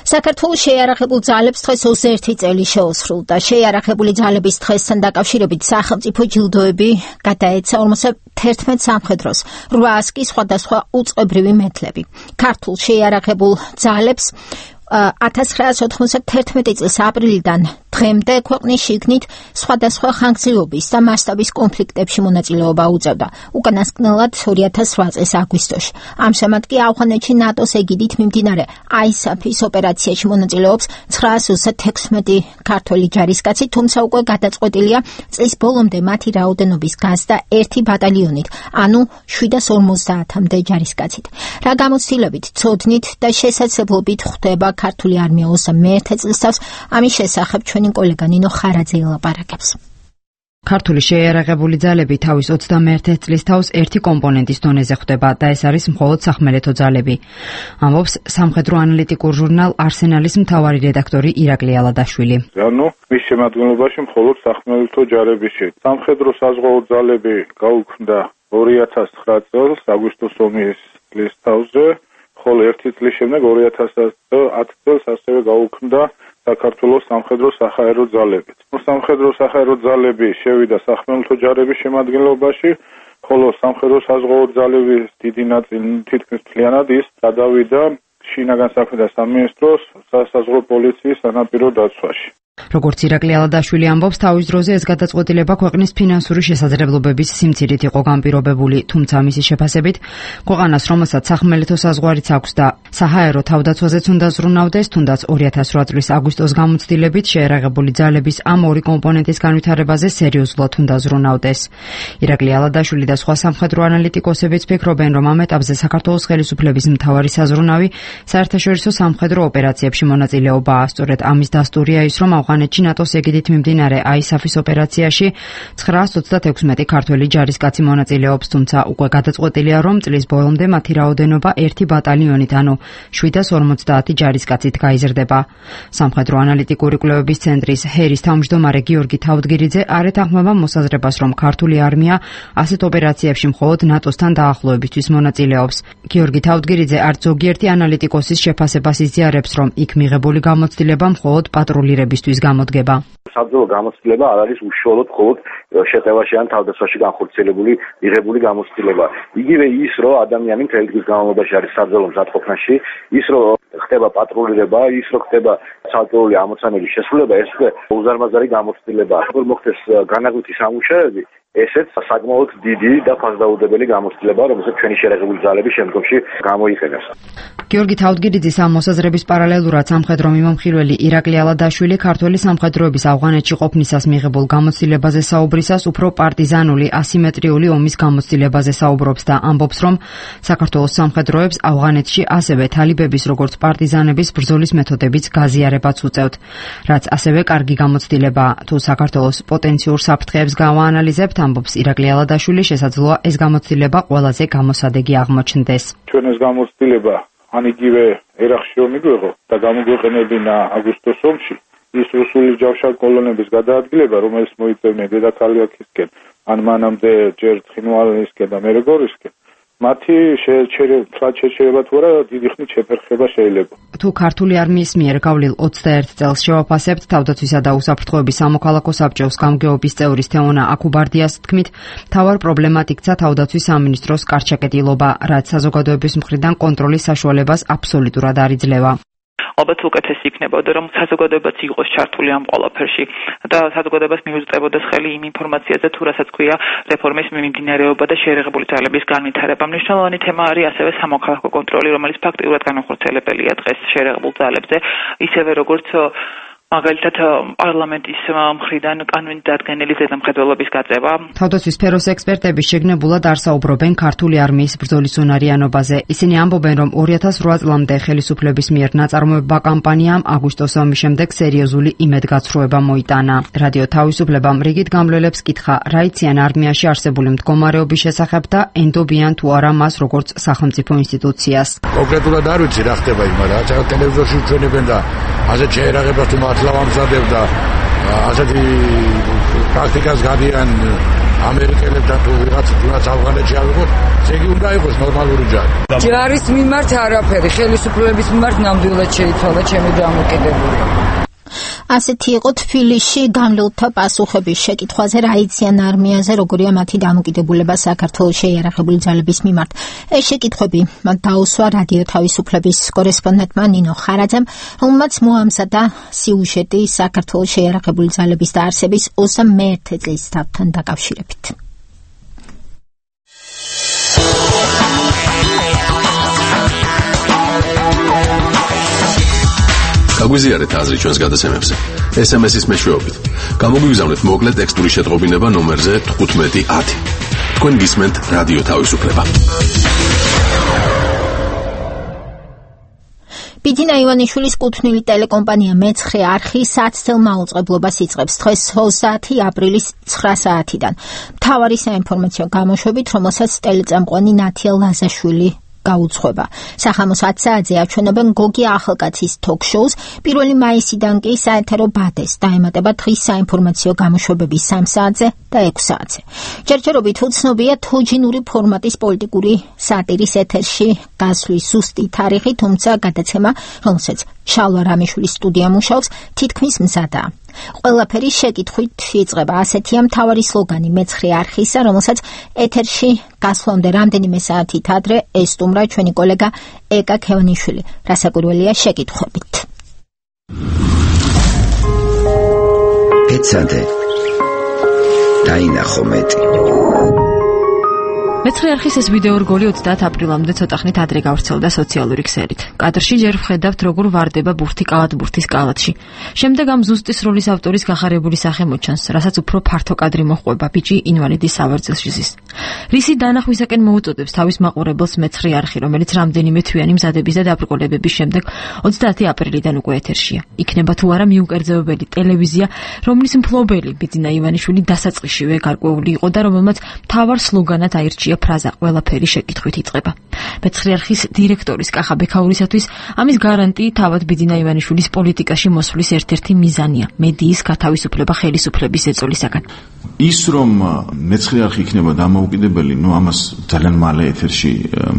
საქართველოს შეიარაღებულ ძალებს დღეს ოცდაერთი წელი შეუსრულდა. შეიარაღებული ძალების დღესთან დაკავშირებით სახელმწიფო ჯილდოები გადაეცა ორმოცდაერთმეტ სამხედროს, რვაას კი სხვადასხვა უწყებრივი მედლები. ქართულ შეიარაღებულ ძალებს ათას ცხრაასი ოთხმოცდათერთმეტი წლის აპრილიდან დღემდე ქვეყნის შიგნით სხვადასხვა ხანგრძლივობის და მასშტაბის კონფლიქტებში მონაწილეობა უწევდა. უკანასკნელად ორი ათას რვა წლის აგვისტოში. ამჟამად კი ავღანეთში ნატოს ეგიდით მიმდინარე აისაფის ოპერაციაში მონაწილეობს ცხრაასი ოცდათექვსმეტი ქართველი ჯარისკაცი, თუმცა უკვე გადაწყვეტილია წლის ბოლომდე მათი რაოდენობის გაზრდა ერთი ბატალიონით, ანუ შვიდას ორმოცდაათამდე ჯარისკაცით. რა გამოცდილებით, ცოდნით და შესაძლებლობით ხვდება ქართული არმია ოცდამეერთე წლისთავს, ამის შესახებ ჩვენი კოლეგა ნინო ხარაძე ელაპარაკებს.
ქართული შეიარაღებული ძალები თავის ოცდამეერთე წლისთავს ერთი კომპონენტის დონეზე ხვდება და ეს არის მხოლოდ სახმელეთო ძალები. ამბობს სამხედრო ანალიტიკურ ჟურნალ არსენალის მთავარი რედაქტორი ირაკლი ალადაშვილი.
ანუ მის შემადგენლობაში მხოლოდ სახმელეთო ჯარები შედის. სამხედრო საზღვაო ძალები გაუქმდა ორი ათას ცხრა წელს აგვისტოს ომის წლისთავზე, ხოლო ერთი წლის შემდეგ ორი ათას ათი წელს ასევე გაუქმდა საქართველოს სამხედრო საჰაერო ძალები. სამხედრო საჰაერო ძალები შევიდა სახმელეთო ჯარების შემადგენლობაში, ხოლო სამხედრო საზღვაო ძალების დიდი ნაწილი თითქმის მთლიანად ის გადავიდა შინაგან საქმეთა სამინისტროს სასაზღვრო პოლიციის სანაპირო დაცვაში.
როგორც ირაკლი ალადაშვილი ამბობს, თავის დროზე ეს გადაწყვეტილება ქვეყნის ფინანსური შესაძლებლობების სიმცირით იყო განპირობებული, თუმცა მისი შეფასებით, ქვეყანას, რომელსაც სახმელეთო საზღვარიც აქვს და საჰაერო თავდაცვაზეც უნდა ზრუნავდეს, თუნდაც ორი ათას რვა წლის აგვისტოს გამოცდილებით შეიარაღებული ძალების ამ ორი კომპონენტის განვითარებაზე სერიოზულად უნდა ზრუნავდეს. ირაკლი ალადაშვილი და სხვა სამხედრო ანალიტიკოსებიც ფიქრობენ, რომ ამ ეტაპზე საქართველოს ხელისუფლების მთავარი საზრუნავი საერთაშორისო სამხედრო ოპერაციებში მონაწილეობაა. სწორედ ამის დასტურია ის, რომ ავღანეთში ნატოს ეგიდით მიმდინარე აისაფის ოპერაციაში ცხრაას ოცდათექვსმეტი ქართველი ჯარისკაცი მონაწილეობს, თუმცა უკვე გადაწყვეტილია, რომ წლის ბოლომდე მათი რაოდენობა ერთი ბატალიონით, ანუ შვიდას ორმოცდაათი ჯარისკაცით გაიზრდება. სამხედრო ანალიტიკური კვლევების ცენტრის ჰერის თავმჯდომარე გიორგი თავდგირიძე არ ეთანხმება მოსაზრებას, რომ ქართული არმია ასეთ ოპერაციებში მხოლოდ ნატოსთან დაახლოებისთვის მონაწილეობს. გიორგი თავდგირიძე არც ზოგიერთი ანალიტიკოსის შეფასებას იზიარებს, რომ იქ მიღებული გამოცდილება მხოლოდ პატრულირებისთვის გამოდგება.
საბრძოლო გამოცდილება არ არის უშუალოდ მხოლოდ შეტევაში ან თავდასხმაში განხორციელებული მიღებული გამოცდილება. იგივე ის, რომ ადამიანი მთელი დღის განმავლობაში არის საბრძოლო მზადყოფნაში, ის რომ ხდება პატრულირება, ის რომ ხდება საბრძოლო ამოცანების შესრულება, ეს უკვე უზარმაზარი გამოცდილებაა. როგორ მოხდეს განაგვითი სამუშაოები, ესეც საკმაოდ დიდი და ფასდაუდებელი გამოცდილებაა, რომელსაც ჩვენი შეიარაღებული ძალები შემდგომში გამოიყენებს.
გიორგი თავდგირიძის ამ მოსაზრების პარალელურად სამხედრო მიმომხილველი ირაკლი ალადაშვილი ქართული სამხედროების ავღანეთში ყოფნისას მიღებულ გამოცდილებაზე საუბრისას უფრო პარტიზანული ასიმეტრიული ომის გამოცდილებაზე საუბრობს და ამბობს, რომ საქართველოს სამხედროებს ავღანეთში ასევე თალიბების როგორც პარტიზანების ბრძოლის მეთოდებიც გაზიარებაც უწევთ, რაც ასევე კარგი გამოცდილებაა. თუ საქართველოს პოტენციურ საფრთხეებს გავაანალიზებთ, ამბობს ირაკლი ალადაშვილი, შესაძლოა ეს გამოცდილება ყველაზე გამოსადეგი აღმოჩნდეს.
ჩვენ ეს გამოცდილება ან იგივე ერახში ომი გვეღო და გამოგვეყენებინა აგვისტოს ომში, ის რუსული ჯავშარ კოლონების გადაადგილება, რომელიც მოიწევდნენ დედაქალაქისკენ, ან მანამდე ჯერ ცხინვალისკენ და მერე გორისკენ, მათი შეერჩება თუ არა დიდი ხნით შეფერხება შეიძლება.
თუ ქართული არმიის მიერ გავლილ ოცდაერთ წელს შევაფასებთ თავდაცვისა და უსაფრთხოების სამოქალაქო საბჭოს გამგეობის წევრის თეონა აკუბარდიას თქმით, მთავარ პრობლემად იქცა თავდაცვის სამინისტროს კარჩაკეტილობა, რაც საზოგადოების მხრიდან კონტროლის საშუალებას აბსოლუტურად არ იძლევა.
ალბათ უკეთესი იქნებოდა რომ საზოგადოებაც იყოს ჩართული ამ ყველაფერში და საზოგადოებას მიუძღებოდეს ხელი იმ ინფორმაციაზე თუ რასაც ქვია რეფორმის მიმდინარეობა და შეერაღებული ძალების განვითარება. მნიშვნელოვანი თემა არის ასევე სამოქალაქო კონტროლი, რომელიც ფაქტიურად განახორციელებელია დღეს შეერაღებულ ძალებზე, ისევე როგორც მაგალითად პარლამენტის მხრიდან კანონდადგენელი ზედამხედველობის გაწევა.
თავდაცვის სფეროს ექსპერტები შეგნებულად არ საუბრობენ ქართული არმიის ბრძოლის უნარიანობაზე. ისინი ამბობენ, რომ ორი ათას რვა წლამდე ხელისუფლების მიერ ნაწარმოებმა კამპანიამ აგვისტოს ომის შემდეგ სერიოზული იმედგაცრუება მოიტანა. რადიო თავისუფლებამ რიგით გამლელებს კითხა, რა იციან არმიაში არსებული მდგომარეობის შესახებ და ენდობიან თუ არა მას როგორც სახელმწიფო ინსტიტუციას.
კონკრეტულად არ ვიცი რა ხდება იქ, მაგრამ რაც ტელევიზორში ჩვენებენ და ასეთ შეერაღებას თუ ლავამზადებდა ასეთი პრაქტიკას გადიან ამერიკელებთან თუ ვიღაც თუნდაც ავღანეთში ავიღოთ, იგი უნდა იყოს ნორმალური ჯარი.
ჯარის მიმართ არაფერი, ხელისუფლების მიმართ ნამდვილად შეიცვალა ჩემი დამოკიდებულება.
ასეთი იყო თბილისში გამლელთა პასუხების შეკითხვაზე, რა იციან არმიაზე, როგორია მათი დამოკიდებულება საქართველოს შეიარაღებული ძალების მიმართ. ეს შეკითხვები მათ დაუსვა რადიო თავისუფლების კორესპონდენტმა ნინო ხარაძემ, რომელმაც მოამზადა სიუჟეტი საქართველოს შეიარაღებული ძალების დაარსების ოცდამეერთე წლის დავთან დაკავშირებით.
გაგვიზიარეთ აზრი ჩვენს გადაცემებზე. ეს ემ ეს-ის მეშვეობით. გამოგვიგზავნეთ მოკლე ტექსტური შეტყობინება ნომერზე თხუთმეტი ათი. თქვენ გისმენთ რადიო თავისუფლება.
ბიძინა ივანიშვილის კუთვნილი ტელეკომპანია მეცხრე არხი საცდელ მაუწყებლობას იწყებს დღეს ოცდაათი აპრილის ცხრა საათიდან. მთავარი საინფორმაციო გამოშვებით, რომელსაც ტელეწამყვანი ნათია ლაზაშვილი გაუძღვება. სახამოს ათ საათზე აჩვენებენ გოგი ახალკაცის თოქ-შოუს, პირველი მაისიდან კი საეთერო ბადეს დაემატება დღის საინფორმაციო გამოშვებები სამ საათზე და ექვს საათზე. ჯერჯერობით უცნობია თოჯინური ფორმატის პოლიტიკური სატირის ეთერში გასვლის ზუსტი თარიღი, თუმცა გადაცემა, რომელსაც შალვა რამიშვილის სტუდია მუშაობს, თითქმის მზადაა. ყველაფერი შეკითხვით იწყება. ასეთია მთავარი სლოგანი მეცხრე არხისა, რომელსაც ეთერში გასვლამდე რამდენიმე საათით ადრე ესტუმრა ჩვენი კოლეგა ეკა ქევანიშვილი. რასაკვირველია შეკითხვებით.
ეცადე დაინახო მეტი.
მეცხრე არხის ეს ვიდეო რგოლი ოცდაათ აპრილამდე ცოტა ხნით ადრე გავრცელდა სოციალური ქსელით. კადრში ჯერ ვხედავთ, როგორ ვარდება ბურთი კალათბურთის კალათში. შემდეგ ამ ზუსტის როლის ავტორის გახარებული სახე მოჩანს, რასაც უფრო ფართო კადრი მოჰყვება ბიჭი ინვალიდის სავარძელში ზის. რისი დანახვისაკენ მოუწოდებს თავის მაყურებელს მეცხრე არხი, რომელიც რამდენიმე თვიანი მზადების და დაბრკოლებების შემდეგ ოცდაათი აპრილიდან უკვე ეთერშია. იქნება თუ არა მიუკერძოებელი ტელევიზია, რომლის მფლობელი ბიძინა ივანიშვილი დასაწყისშივე გარკვეული იყო და რომელმაც მთავარ სლოგანად აირჩია ფრაზა ყველაფერი შეკითხვით იწყება. მეცხრე არხის დირექტორის კახა ბექაურისათვის ამის გარანტი თავად ბიძინა ივანიშვილის პოლიტიკაში მოსვლის ერთ-ერთი მიზანია მედიის გათავისუფლება ხელისუფლების ეწოლისაგან.
ის რომ მეცხრე არხი იქნება დამოუკიდებელი, ნუ ამას ძალიან მალე ეთერში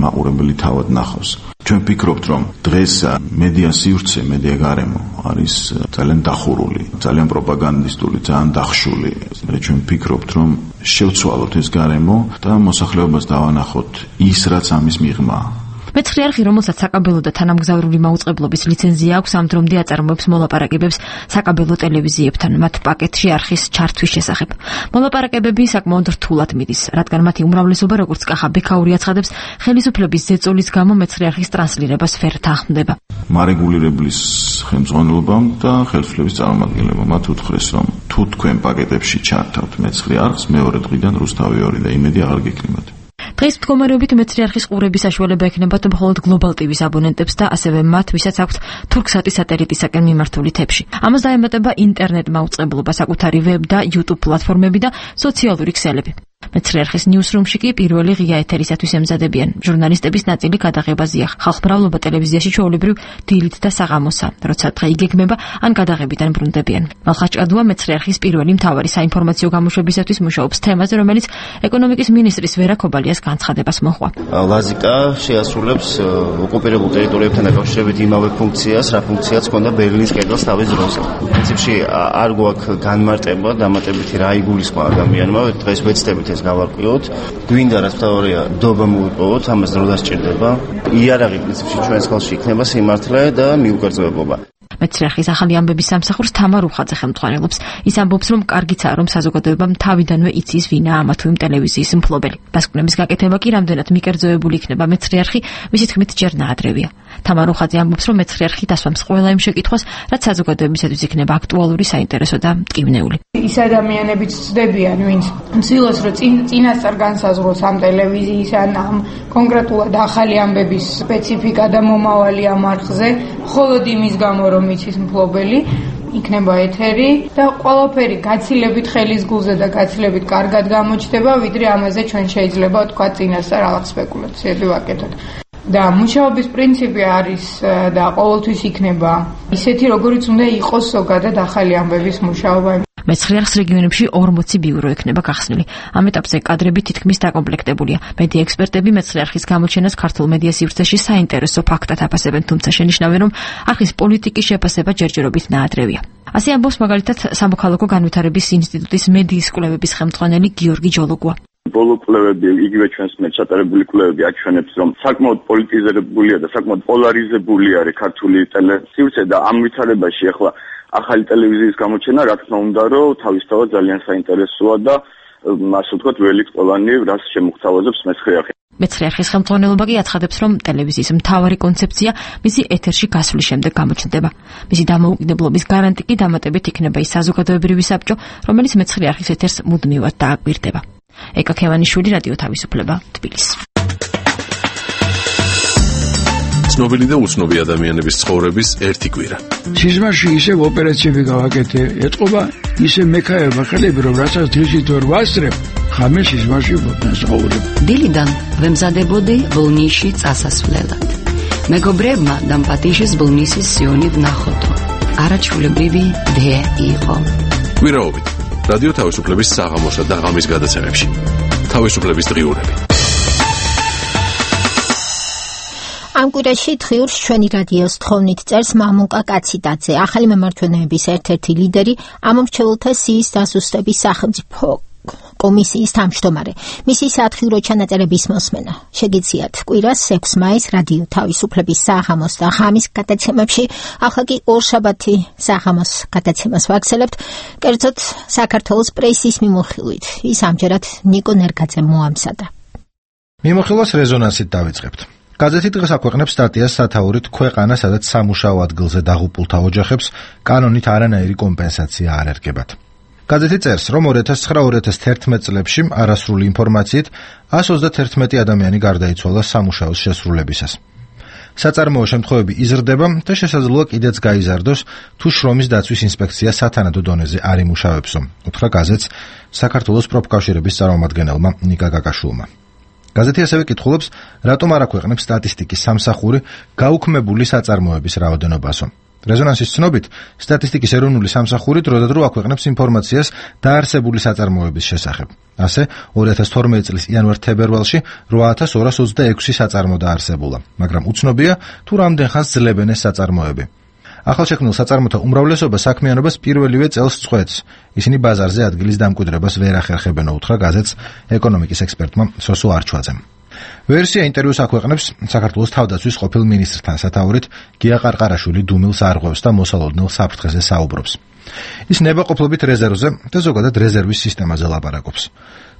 მაყურებელი თავად ნახავს. ჩვენ ვფიქრობთ, რომ დღეს მედია სივრცე, მედია გარემო არის ძალიან დახურული, ძალიან პროპაგანდისტული, ძალიან დახშული. ჩვენ ვფიქრობთ, რომ შევცვალოთ ეს გარემო და მოსახლეობას დავანახოთ ის, რაც ამის მიღმა.
მეცხრე არხი, რომელსაც საკაბელო და თანამგზავრული მაუწყებლობის ლიცენზია აქვს, ამ დრომდე აწარმოებს მოლაპარაკებებს საკაბელო ტელევიზიებთან მათ პაკეტში არხის ჩართვის შესახებ. მოლაპარაკებები საკმაოდ რთულად მიდის, რადგან მათი უმრავლესობა, როგორც კახა ბექაური აცხადებს, ხელისუფლების ზეწოლის გამო მეცხრე არხის ტრანსლირებას ვერ თანხმდება.
მარეგულირებლის ხელმძღვანელობამ და ხელისუფლების წარმომადგენლებამ მათ უთხრეს, რომ თუ თქვენ პაკეტებში ჩართავთ მეცხრე არხს, მეორე დღიდან რუსთავი ორი და იმედი აღარ გექნებათ.
დღეს მდგომარეობით მეცხრე არხის ყურების საშუალება ექნებათ მხოლოდ გლობალ ტივის აბონენტებს და ასევე მათ, ვისაც აქვთ თურქსატის სატელიტისაკენ მიმართული თებში. ამას დაემატება ინტერნეტ მაუწყებლობა, საკუთარი ვებ და YouTube პლატფორმები და სოციალური ქსელები. მეცხრე-არხის ნიუსრუმში კი პირველი ღია ეთერისათვის ემზადებიან. ჟურნალისტების ნაწილი გადაღებაზეა. ხალხმრავლობა ტელევიზიაში ჩვეულებრივ დილით და საღამოსა, როცა დღე იგეგმება ან გადაღებიდან ბრუნდებიან. მალხაჭ-კადუა მეცხრე-არხის პირველი მთავარი საინფორმაციო გამოშვებისათვის მუშაობს თემაზე, რომელიც ეკონომიკის მინისტრის ვერა ქობალიას განცხადებას მოჰყვა.
ლაზიკა შეასრულებს ოკუპირებულ ტერიტორიებთან დაკავშირებით იმავე ფუნქციას, რა ფუნქციაც ჰქონდა ბერლინის კედელს თავის დროზე. პრინციპში არ გვაქვს განმარტება, დამატებითი რა იგულისხმა ადამიანმა, დღეს ვეცდებით ეს გავარკვიოთ. გვინდა რაც თავია დობა მოიპოვოთ, ამას დრო დასჭირდება. იარაღი პრინციპში ჩვენს ხელში იქნება სიმართლე და მიუკერძოებობა.
მეცხრე-არხის ახალი ამბების სამსახურს თამარ უხაძე ხელმძღვანელობს. ის ამბობს, რომ კარგიცაა, რომ საზოგადოებამ თავიდანვე იცის ვინაა ამა თუ იმ ტელევიზიის მფლობელი. დასკვნების გაკეთება კი რამდენად მიკერძოებული იქნება მეცხრე-არხი, მისი თქმით ჯერ ნაადრევია. თამარ უხაძე ამბობს, რომ მეცხრე-არხი დასვამს ყველა იმ შეკითხვას, რაც საზოგადოებისათვის იქნება აქტუალური, საინტერესო და მტკივნეული.
ის ადამიანებიც ცდებიან, ვინც ცდილობს, რომ წინასწარ განსაზღვროს ამ ტელევიზიის ან ამ კონკრეტულად ახალი ამბების სპეციფიკა და მომავალი ამ არხზე, მხოლოდ იმის გამო, რომ იცის მფლობელი, იქნება ეთერი და ყველაფერი გაცილებით ხელის გულზე და გაცილებით კარგად გამოჩნდება, ვიდრე ამაზე ჩვენ შეიძლება თქვა წინასწარ რაღაც სპეკულაციები ვაკეთოთ. და მუშაობის პრინციპი არის და ყოველთვის იქნება ისეთი, როგორიც უნდა იყოს ზოგადად ახალი ამბების მუშაობა.
მეცხრე-არხის რეგიონებში ორმოცი ბიურო ექნება გახსნილი. ამ ეტაპზე კადრები თითქმის დაკომპლექტებულია. მედია ექსპერტები მეცხრე-არხის გამოჩენას ქართულ მედია სივრცეში საინტერესო ფაქტად აფასებენ, თუმცა შენიშნავენ, რომ არხის პოლიტიკის შეფასება ჯერჯერობით ნაადრევია. ასე ამბობს მაგალითად სამოქალაქო განვითარების ინსტიტუტის მედიის კვლევების ხელმძღვანელი გიორგი ჯოლოგუა.
ბოლო კვლევები, იგივე ჩვენს მეჩატარებული კვლევები აჩვენებს, რომ საკმაოდ პოლიტიზირებულია და საკმაოდ პოლარიზებული არის ქართული ტელესივრცე და ამ ვითარებაში ახლა ახალი ტელევიზიის გამოჩენა, რა თქმა უნდა, რომ თავისთავად ძალიან საინტერესოა და ასე ვთქვათ, ველი ყველანი რას შემოგთავაზებს მეცხრე-არხი.
მეცხრე-არხის ხელმძღვანელობა კი აცხადებს, რომ ტელევიზიის მთავარი კონცეფცია მისი ეთერში გასვლის შემდეგ გამოჩნდება. მისი დამოუკიდებლობის გარანტი კი დამატებით იქნება ის საზოგადოებრივი საბჭო, რომელიც მეცხრე-არხის ეთერს მუდმივად დააკვირდება. ეკა ქევანიშვილი, რადიო თავისუფლება, თბილისი.
ცნობილი და უცნობი ადამიანების ცხოვრების ერთი კვირა.
სიზმარში ისევ ოპერაციები გავაკეთე, ეთყობა ისე მექაება ხელები, რომ რასაც დღისით ვერ ვასწრებ, ხამე სიზმარში ვცხოვრობ.
დილიდან ვემზადებოდი ბოლნისში წასასვლელად. მეგობრებმა დამპატიშეს ბოლნისის სიონი ვნახოთო. არაჩვეულებრივი დე იყო.
კვირაობით რადიო თავისუფლების საღამოსა და ღამის გადაცემებში. თავისუფლების დღიურები.
ამ კვირაში დღიურს ჩვენი რადიოს თხოვნით წერს მამუკა კაციდაძე, ახალი მემარჯვენეების ერთ-ერთი ლიდერი, ამომრჩეველთა სიის დასუსტების სახელმწიფო კომისიის თავმჯდომარე. მისი სათხიურო ჩანაწერების მოსმენა შეგიძლიათ კვირას ექვსი მაისს რადიო თავისუფლების საღამოს და ღამის გადაცემებში, ახლა კი ორშაბათი საღამოს გადაცემას ვაგრძელებთ, კერძოდ საქართველოს პრესის მიმოხილვით. ის ამჯერად ნიკო ნერგაძემ მოამზადა.
მიმოხილვას რეზონანსით დავიწყებთ. გაზეთი დღეს აქვეყნებს სტატიას სათაურით ქვეყანა, სადაც სამუშაო ადგილზე დაღუპულთა ოჯახებს კანონით არანაირი კომპენსაცია არ ერგებათ. გაზეთი წერს, რომ ორი ათას ცხრა ორი ათას თერთმეტ წლებში არასრული ინფორმაციით εκατს ოცდაერთმეტი ადამიანი გარდაიცვალა სამუშაოს შესრულებისას. საწარმოო შემთხვევები იზრდება და შესაძლოა კიდეც გაიზარდოს, თუ შრომის დაცვის ინსპექცია სათანადო დონეზე არ იმუშავებსო, უთხრა გაზეთს საქართველოს პროფკავშირების წარმომადგენელმა ნიკა გაკაშვილმა. გაზეთი ასევე კითხულობს, რატომ არ აქვეყნებს სტატისტიკის სამსახური გაუქმებული საწარმოების რაოდენობასო. რეზონანსის ცნობით, სტატისტიკის ეროვნული სამსახური დროდადრო აქვეყნებს ინფორმაციას დაარსებული საწარმოების შესახებ. ასე, ორი ათას თორმეტი წლის იანვარ-თებერვალში ორი ათას ორას ოცდაექვსი საწარმო დაარსებულა, მაგრამ უცნობია, თუ რამდენ ხანს ძლებენ ეს საწარმოები. ახალშექმნილ საწარმოთა უმრავლესობა საქმიანობას პირველივე წელს წყვეტს. ისინი ბაზარზე ადგილის დამკვიდრებას ვერ ახერხებენ, უთხრა გაზეთს ეკონომიკის ექსპერტმა სოსო არჩვაძემ. ვერსია ინტერვიუს აქვეყნებს საქართველოს თავდაცვის ყოფილ მინისტრთან სათაურით გია ყარყარაშვილი დუმილს არღვევს და მოსალოდნელ საფრთხეზე საუბრობს. ის ნებაყოფლობით რეზერვზე და ზოგადად რეზერვის სისტემაზე ლაპარაკობს.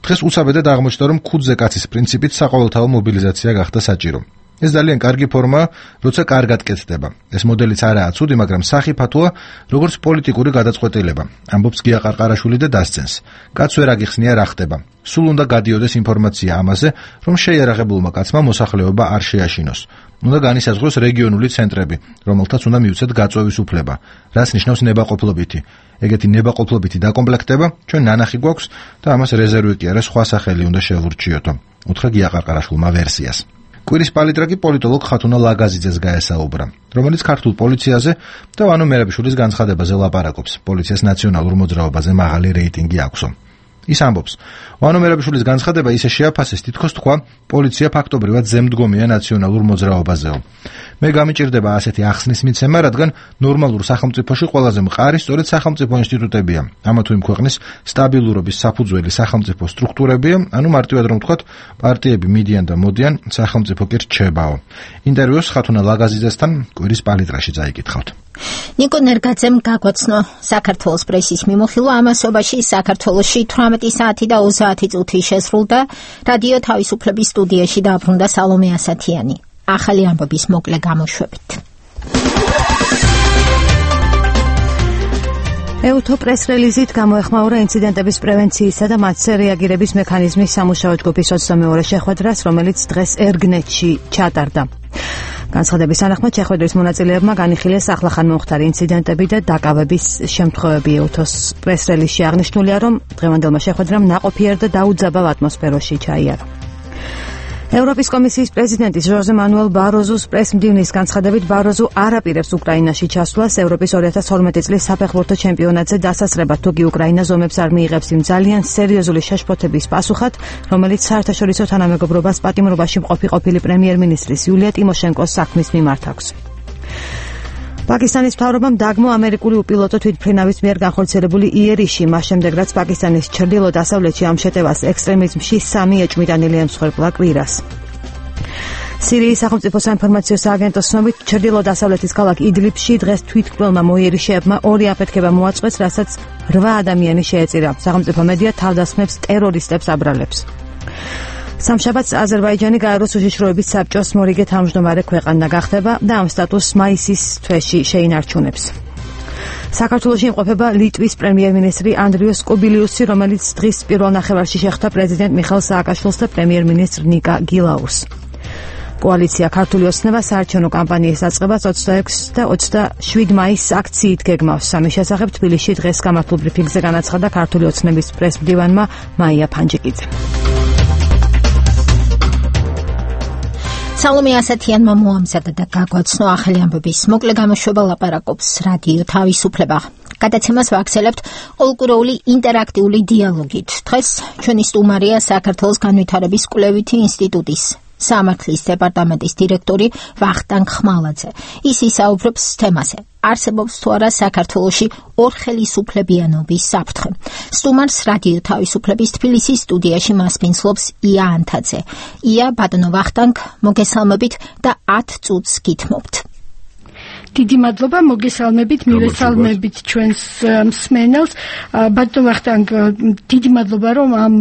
დღეს უცაბედად აღმოჩნდა, რომ ქუდზე კაცის პრინციპით საყოველთაო მობილიზაცია გახდა საჭირო. ეს ძალიან კარგი ფორმაა, როცა კარგად კეთდება. ეს მოდელიც არაა ცუდი, მაგრამ სახიფათოა, როგორც პოლიტიკური გადაწყვეტილება. ამბობს გია ყარყარაშვილი და დასცენს. კაც ვერ აგიხსნია რა ხდება. სულ უნდა გადიოდეს ინფორმაცია ამაზე, რომ შეიარაღებულმა კაცმა მოსახლეობა არ შეაშინოს. უნდა განისაზღვროს რეგიონული ცენტრები, რომელთაც უნდა მიუცეთ გაწვევის უფლება, რაც ნიშნავს ნებაყოფლობითი. ეგეთი ნებაყოფლობითი დაკომპლექტება ჩვენ ნანახი გვაქვს და ამას რეზერვი კი არა, სხვა სახელი უნდა შევურჩიოთო. უთხრა გიაყარყარაშვილმა ვერსიას. კვირის პალიტრა კი პოლიტოლოგ ხათუნა ლაგაზიძეს გაესაუბრა, რომელიც ქართულ პოლიციაზე და ვანო მერაბიშვილის განცხადებაზე ლაპარაკობს. პოლიციას ნაციონალურ მოძრაობაზე მაღალი რეიტინგი აქვსო. ის ამბობს, ვანო მერაბიშვილის განცხადება ისე შეაფასეს, თითქოს თქვა, პოლიცია ფაქტობრივად ზემდგომია ნაციონალურ მოძრაობაზეო. მე გამიჭირდება ასეთი ახსნის მიცემა, რადგან ნორმალურ სახელმწიფოში ყველაზე მყარი სწორედ სახელმწიფო ინსტიტუტებია. ამა თუ იმ ქვეყნის სტაბილურობის საფუძველი სახელმწიფო სტრუქტურებია, ანუ მარტივად რომ ვთქვათ, პარტიები მიდიან და მოდიან, სახელმწიფო კი რჩებაო. ინტერვიუს ხათუნა ლაგაზიძესთან კვირის პალიტრაში წაიკითხავთ.
ნიკო ნერგაძემ გაგვაცნო საქართველოს პრესის მიმოხილვა ამასობაში საქართველოში თვრამეტი საათი და ოცდაათი წუთი შესრულდა რადიო თავისუფლების სტუდიაში დაბრუნდა სალომე ასათიანი. ახალი ამბების მოკლე გამოშვებით.
ეუთო პრეს-რელიზით გამოეხმაურა ინციდენტების პრევენციისა და მათზე რეაგირების მექანიზმის სამუშაო ჯგუფის ოცდამეორე შეხვედრას, რომელიც დღეს ერგნეტში ჩატარდა. განცხადების თანახმად შეხვედრის მონაწილეებმა განიხილეს ახლახან მომხდარი ინციდენტები და დაკავების შემთხვევები. ეუთოს პრეს-რელიზში აღნიშნულია, რომ დღევანდელმა შეხვედრამ ნაყოფიერ და დაუძაბავ ატმოსფეროში ჩაიარა. ევროპის კომისიის პრეზიდენტის ჟოზე მანუელ ბაროზუს პრეს-მდივნის განცხადებით, ბაროზუ არ აპირებს უკრაინაში ჩასვლას ევროპის ორი ათას თორმეტი წლის საფეხბურთო ჩემპიონატზე დასასრებად, თუ კი უკრაინა ზომებს არ მიიღებს იმ ძალიან სერიოზული შეშფოთების პასუხად, რომელიც საერთაშორისო თანამეგობრობას პატიმრობაში მყოფი ყოფილი პრემიერ-მინისტრის იულია ტიმოშენკოს საქმის მიმართ აქვს. პაკისტანის მთავრობამ დაგმო ამერიკული უპილოტო თვითმფრინავის მიერ განხორციელებული იერიში, მას შემდეგ რაც პაკისტანის ჩრდილო-დასავლეთში ამ შეტევას ექსტრემიზმში სამი ეჭვმიტანილი ემსხვერპლა კვირას. სირიის სახელმწიფო საინფორმაციო სააგენტოს ცნობით, ჩრდილო-დასავლეთის ქალაქ იდლიბში დღეს თვითმკვლელმა მოიერიშეებმა ორი აფეთქება მოაწყვეს, რასაც რვა ადამიანი შეეწირა. სახელმწიფო მედია თავდასხმებს ტერორისტებს აბრალებს. სამშაბათს აზერბაიჯანი გაეროს უშიშროების საბჭოს მორიგე თავმჯდომარე ქვეყანა გახდება და ამ სტატუსს მაისის თვეში შეინარჩუნებს. საქართველოში იმყოფება ლიტვის პრემიერ-მინისტრი ანდრიუს კუბილიუსი, რომელიც დღის პირველ ნახევარში შეხვდა პრეზიდენტ მიხეილ სააკაშვილს და პრემიერ-მინისტრ ნიკა გილაუს. კოალიცია ქართული ოცნება საარჩევნო კამპანიის დაწყებას ოცდაექვსი და ოცდაშვიდი მაისს აქციით გეგმავს. სამის შესახებ თბილისში დღეს გამართულ ბრიფინგზე განაცხადა ქართული ოცნების პრეს-მდივანმა მაია ფანჯიკიძე.
სალომე ასათიანმა მოამზადა და გაგვაცნო ახალი ამბების მოკლე გამოშვება, ლაპარაკობს რადიო თავისუფლება. გადაცემას ვაქსელებთ ყოველკვირეული ინტერაქტიული დიალოგით. დღეს ჩვენი სტუმარია საქართველოს განვითარების კვლევითი ინსტიტუტის სამართლის დეპარტამენტის დირექტორი ვახტანგ ხმალაძე. ის ისაუბრებს თემაზე. არსებობს თუ არა საქართველოში ორხელისუფლებიანობის საფრთხე. სტუმარს რადიო თავისუფლების თბილისის სტუდიაში მასპინძლობს ია ანთაძე. ია, ბატონო ვახტანგ, მოგესალმებით და ათ წუთს გითმობთ.
დიდი მადლობა, მოგესალმებით, მივესალმებით ჩვენს მსმენელს. ბატონო ვახტანგ, დიდი მადლობა, რომ ამ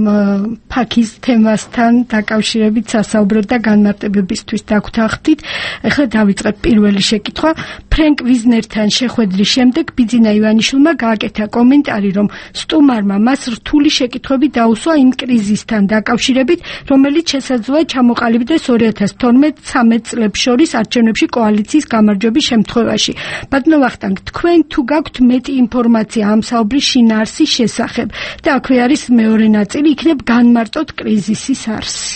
ფაქის თემასთან დაკავშირებით სასაუბროთ და განმარტებებისთვის დაგვთანხმდით. ახლა დავიწყებ პირველი შეკითხვა. ფრენკ ვიზნერთან შეხვედრის შემდეგ ბიძინა ივანიშვილმა გააკეთა კომენტარი, რომ სტუმარმა მას რთული შეკითხვები დაუსვა იმ კრიზისთან დაკავშირებით, რომელიც შესაძლოა ჩამოყალიბდეს ორი ათას თორმეტ ცამეტ წლებს შორის არჩევნებში კოალიციის გამარჯვების შემთხვევაში. ბატონო ვახტანგ, თქვენ თუ გაქვთ მეტი ინფორმაცია ამ საუბრის შინაარსის შესახებ და აქვე არის მეორე ნაწილი, იქნებ განმარტოთ კრიზისის არსი.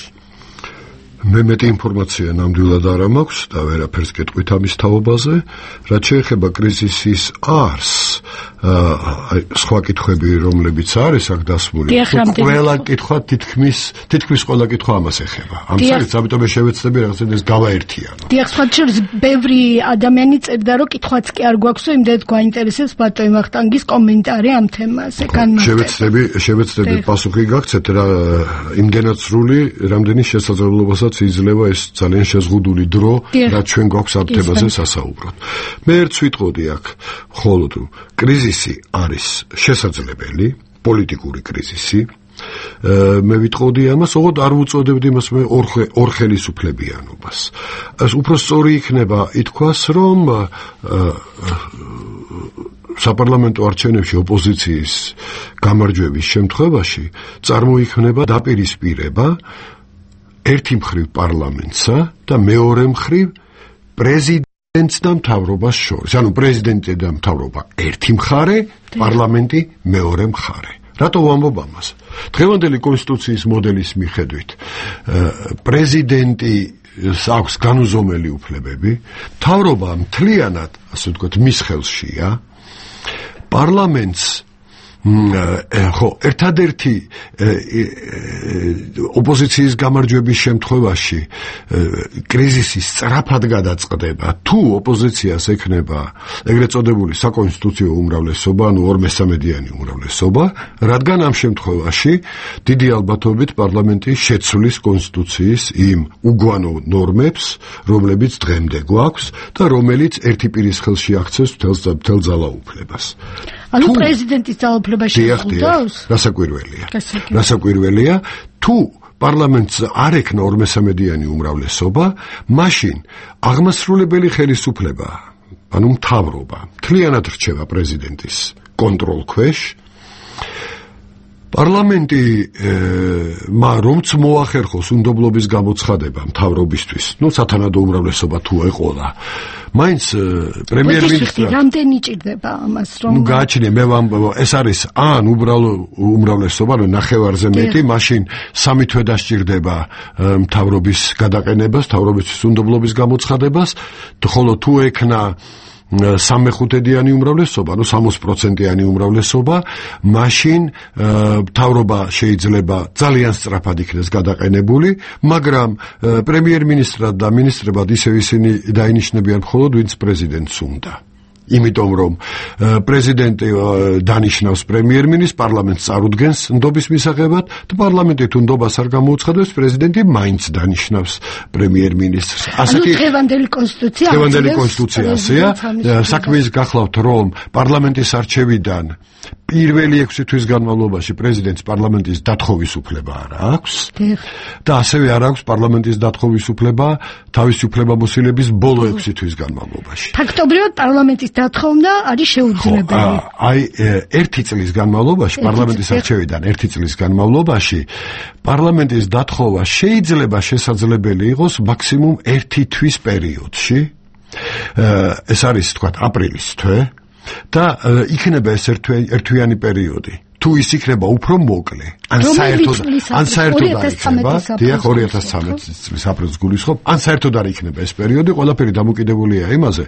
მე მეტი ინფორმაცია ნამდვილად არ მაქვს და ვერაფერს გეტყვით ამის თაობაზე. რაც შეეხება კრიზისის არსს, აი სხვა კითხვები, რომლებიც არის აქ დასმული, ყველა კითხვა თითქმის თითქმის ყველა კითხვა ამას ეხება. ამ საერთოდ ამიტომ შევეცდები რაღაცა ეს გავაერთიანო.
დიახ, სხვა შორის ბევრი ადამიანი წერდა, რომ კითხვაც კი არ გვაქვს, იმდენად გვაინტერესებს ბატონო ვახტანგის კომენტარი ამ თემაზე.
შევეცდები შევეცდები პასუხი გაგცეთ რა იმდენად სრული, რამდენი შესაძლებლობასაც იძლევა ეს ძალიან შეზღუდული დრო, რაც ჩვენ გვაქვს ამ თემაზე სასაუბროთ. მე ერთს ვიტყოდი აქ, მხოლოდ კრიზისი არის შესაძლებელი, პოლიტიკური კრიზისი. მე ვიტყოდი ამას, ოღონდ არ ვუწოდებდი მას მე ორხელისუფლებიანობას. ეს უფრო სწორი იქნება ითქვას, რომ საპარლამენტო არჩევნებში ოპოზიციის გამარჯვების შემთხვევაში წარმოიქმნება დაპირისპირება ერთი მხრივ პარლამენტსა და მეორე მხრივ პრეზიდენტს და მთავრობას შორის. ანუ პრეზიდენტი და მთავრობა ერთი მხარე, პარლამენტი მეორე მხარე. რატო ვამბობ ამას? დღევანდელი კონსტიტუციის მოდელის მიხედვით პრეზიდენტი აქვს განუზომელი უფლებები, მთავრობა მთლიანად, ასე ვთქვათ, მის ხელშია. პარლამენტს ხო, ერთადერთი ოპოზიციის გამარჯვების შემთხვევაში კრიზისი სწრაფად გადაწყდება, თუ ოპოზიციას ექნება ეგრეთ წოდებული საკონსტიტუციო უმრავლესობა, ანუ ორ მესამედიანი უმრავლესობა, რადგან ამ შემთხვევაში დიდი ალბათობით პარლამენტი შეცვლის კონსტიტუციის იმ უგვანო ნორმებს, რომლებიც დღემდე გვაქვს და რომელიც ერთი პირის ხელში აქცევს მთელ ძალაუფლებას.
ანუ პრეზიდენტის ძალაუფლება შეხვდავს?
რასაკვირველია. რასაკვირველია, თუ პარლამენტს არ ექნა ორმესამედიანი უმრავლესობა, მაშინ აღმასრულებელი ხელისუფლება, ანუ მთავრობა, მთლიანად რჩება პრეზიდენტის კონტროლ ქვეშ. პარლამენტი რომც მოახერხოს უნდობლობის გამოცხადება მთავრობისთვის, ნუ სათანადო უმრავლესობა თუ ეყოლა, მაინც პრემიერ-მინისტრი
რამდენი ჭირდება ამას რომ
ნუ გააჩნია, მე ეს არის ან უბრალო უმრავლესობა, ანუ ნახევარზე მეტი, მაშინ სამი თვე დასჭირდება მთავრობის გადაყენებას, მთავრობის უნდობლობის გამოცხადებას, ხოლო თუ ექნა სამეხუთედიანი უმრავლესობა, ანუ სამოცი პროცენტიანი უმრავლესობა, მაშინ მთავრობა შეიძლება ძალიან სწრაფად იქნეს გადაყენებული, მაგრამ პრემიერ-მინისტრად და მინისტრებად ისევ ისინი დაინიშნებიან მხოლოდ ვინც პრეზიდენტს უნდა. იმიტომ რომ პრეზიდენტი დანიშნავს პრემიერ-მინისტრს, პარლამენტს წარუდგენს ნდობის მისაღებად და პარლამენტი თუ ნდობას არ გამოუცხადებს, პრეზიდენტი მაინც დანიშნავს პრემიერ-მინისტრს.
ასეთი დღევანდელი კონსტიტუცია
დღევანდელი კონსტიტუცია ასეა. საქმე ის გახლავთ, რომ პარლამენტის არჩევიდან პირველი ექვსი თვის განმავლობაში პრეზიდენტს პარლამენტის დათხოვის უფლება არ აქვს და ასევე არ აქვს პარლამენტის დათხოვის უფლება თავისი უფლებამოსილების ბოლო ექვსი თვის განმავლობაში.
ფაქტობრივად პარლამენტის დათხოვნა არის შეუძლებელი.
აი ერთი წლის განმავლობაში, პარლამენტის არჩევიდან ერთი წლის განმავლობაში პარლამენტის დათხოვა შეიძლება შესაძლებელი იყოს მაქსიმუმ ერთი თვის პერიოდში. ეს არის თქვათ აპრილის თვე. და იქნება ეს ერთვიანი პერიოდი. თუ ის იქნება უფრო მოკლე, ან საერთოდ ან საერთოდ არ იქნება, დიახ, ორი ათას ცხრამეტი წლის აპრილს გულისხმობ, ან საერთოდ არ იქნება ეს პერიოდი, ყველაფერი დამოკიდებულია იმაზე,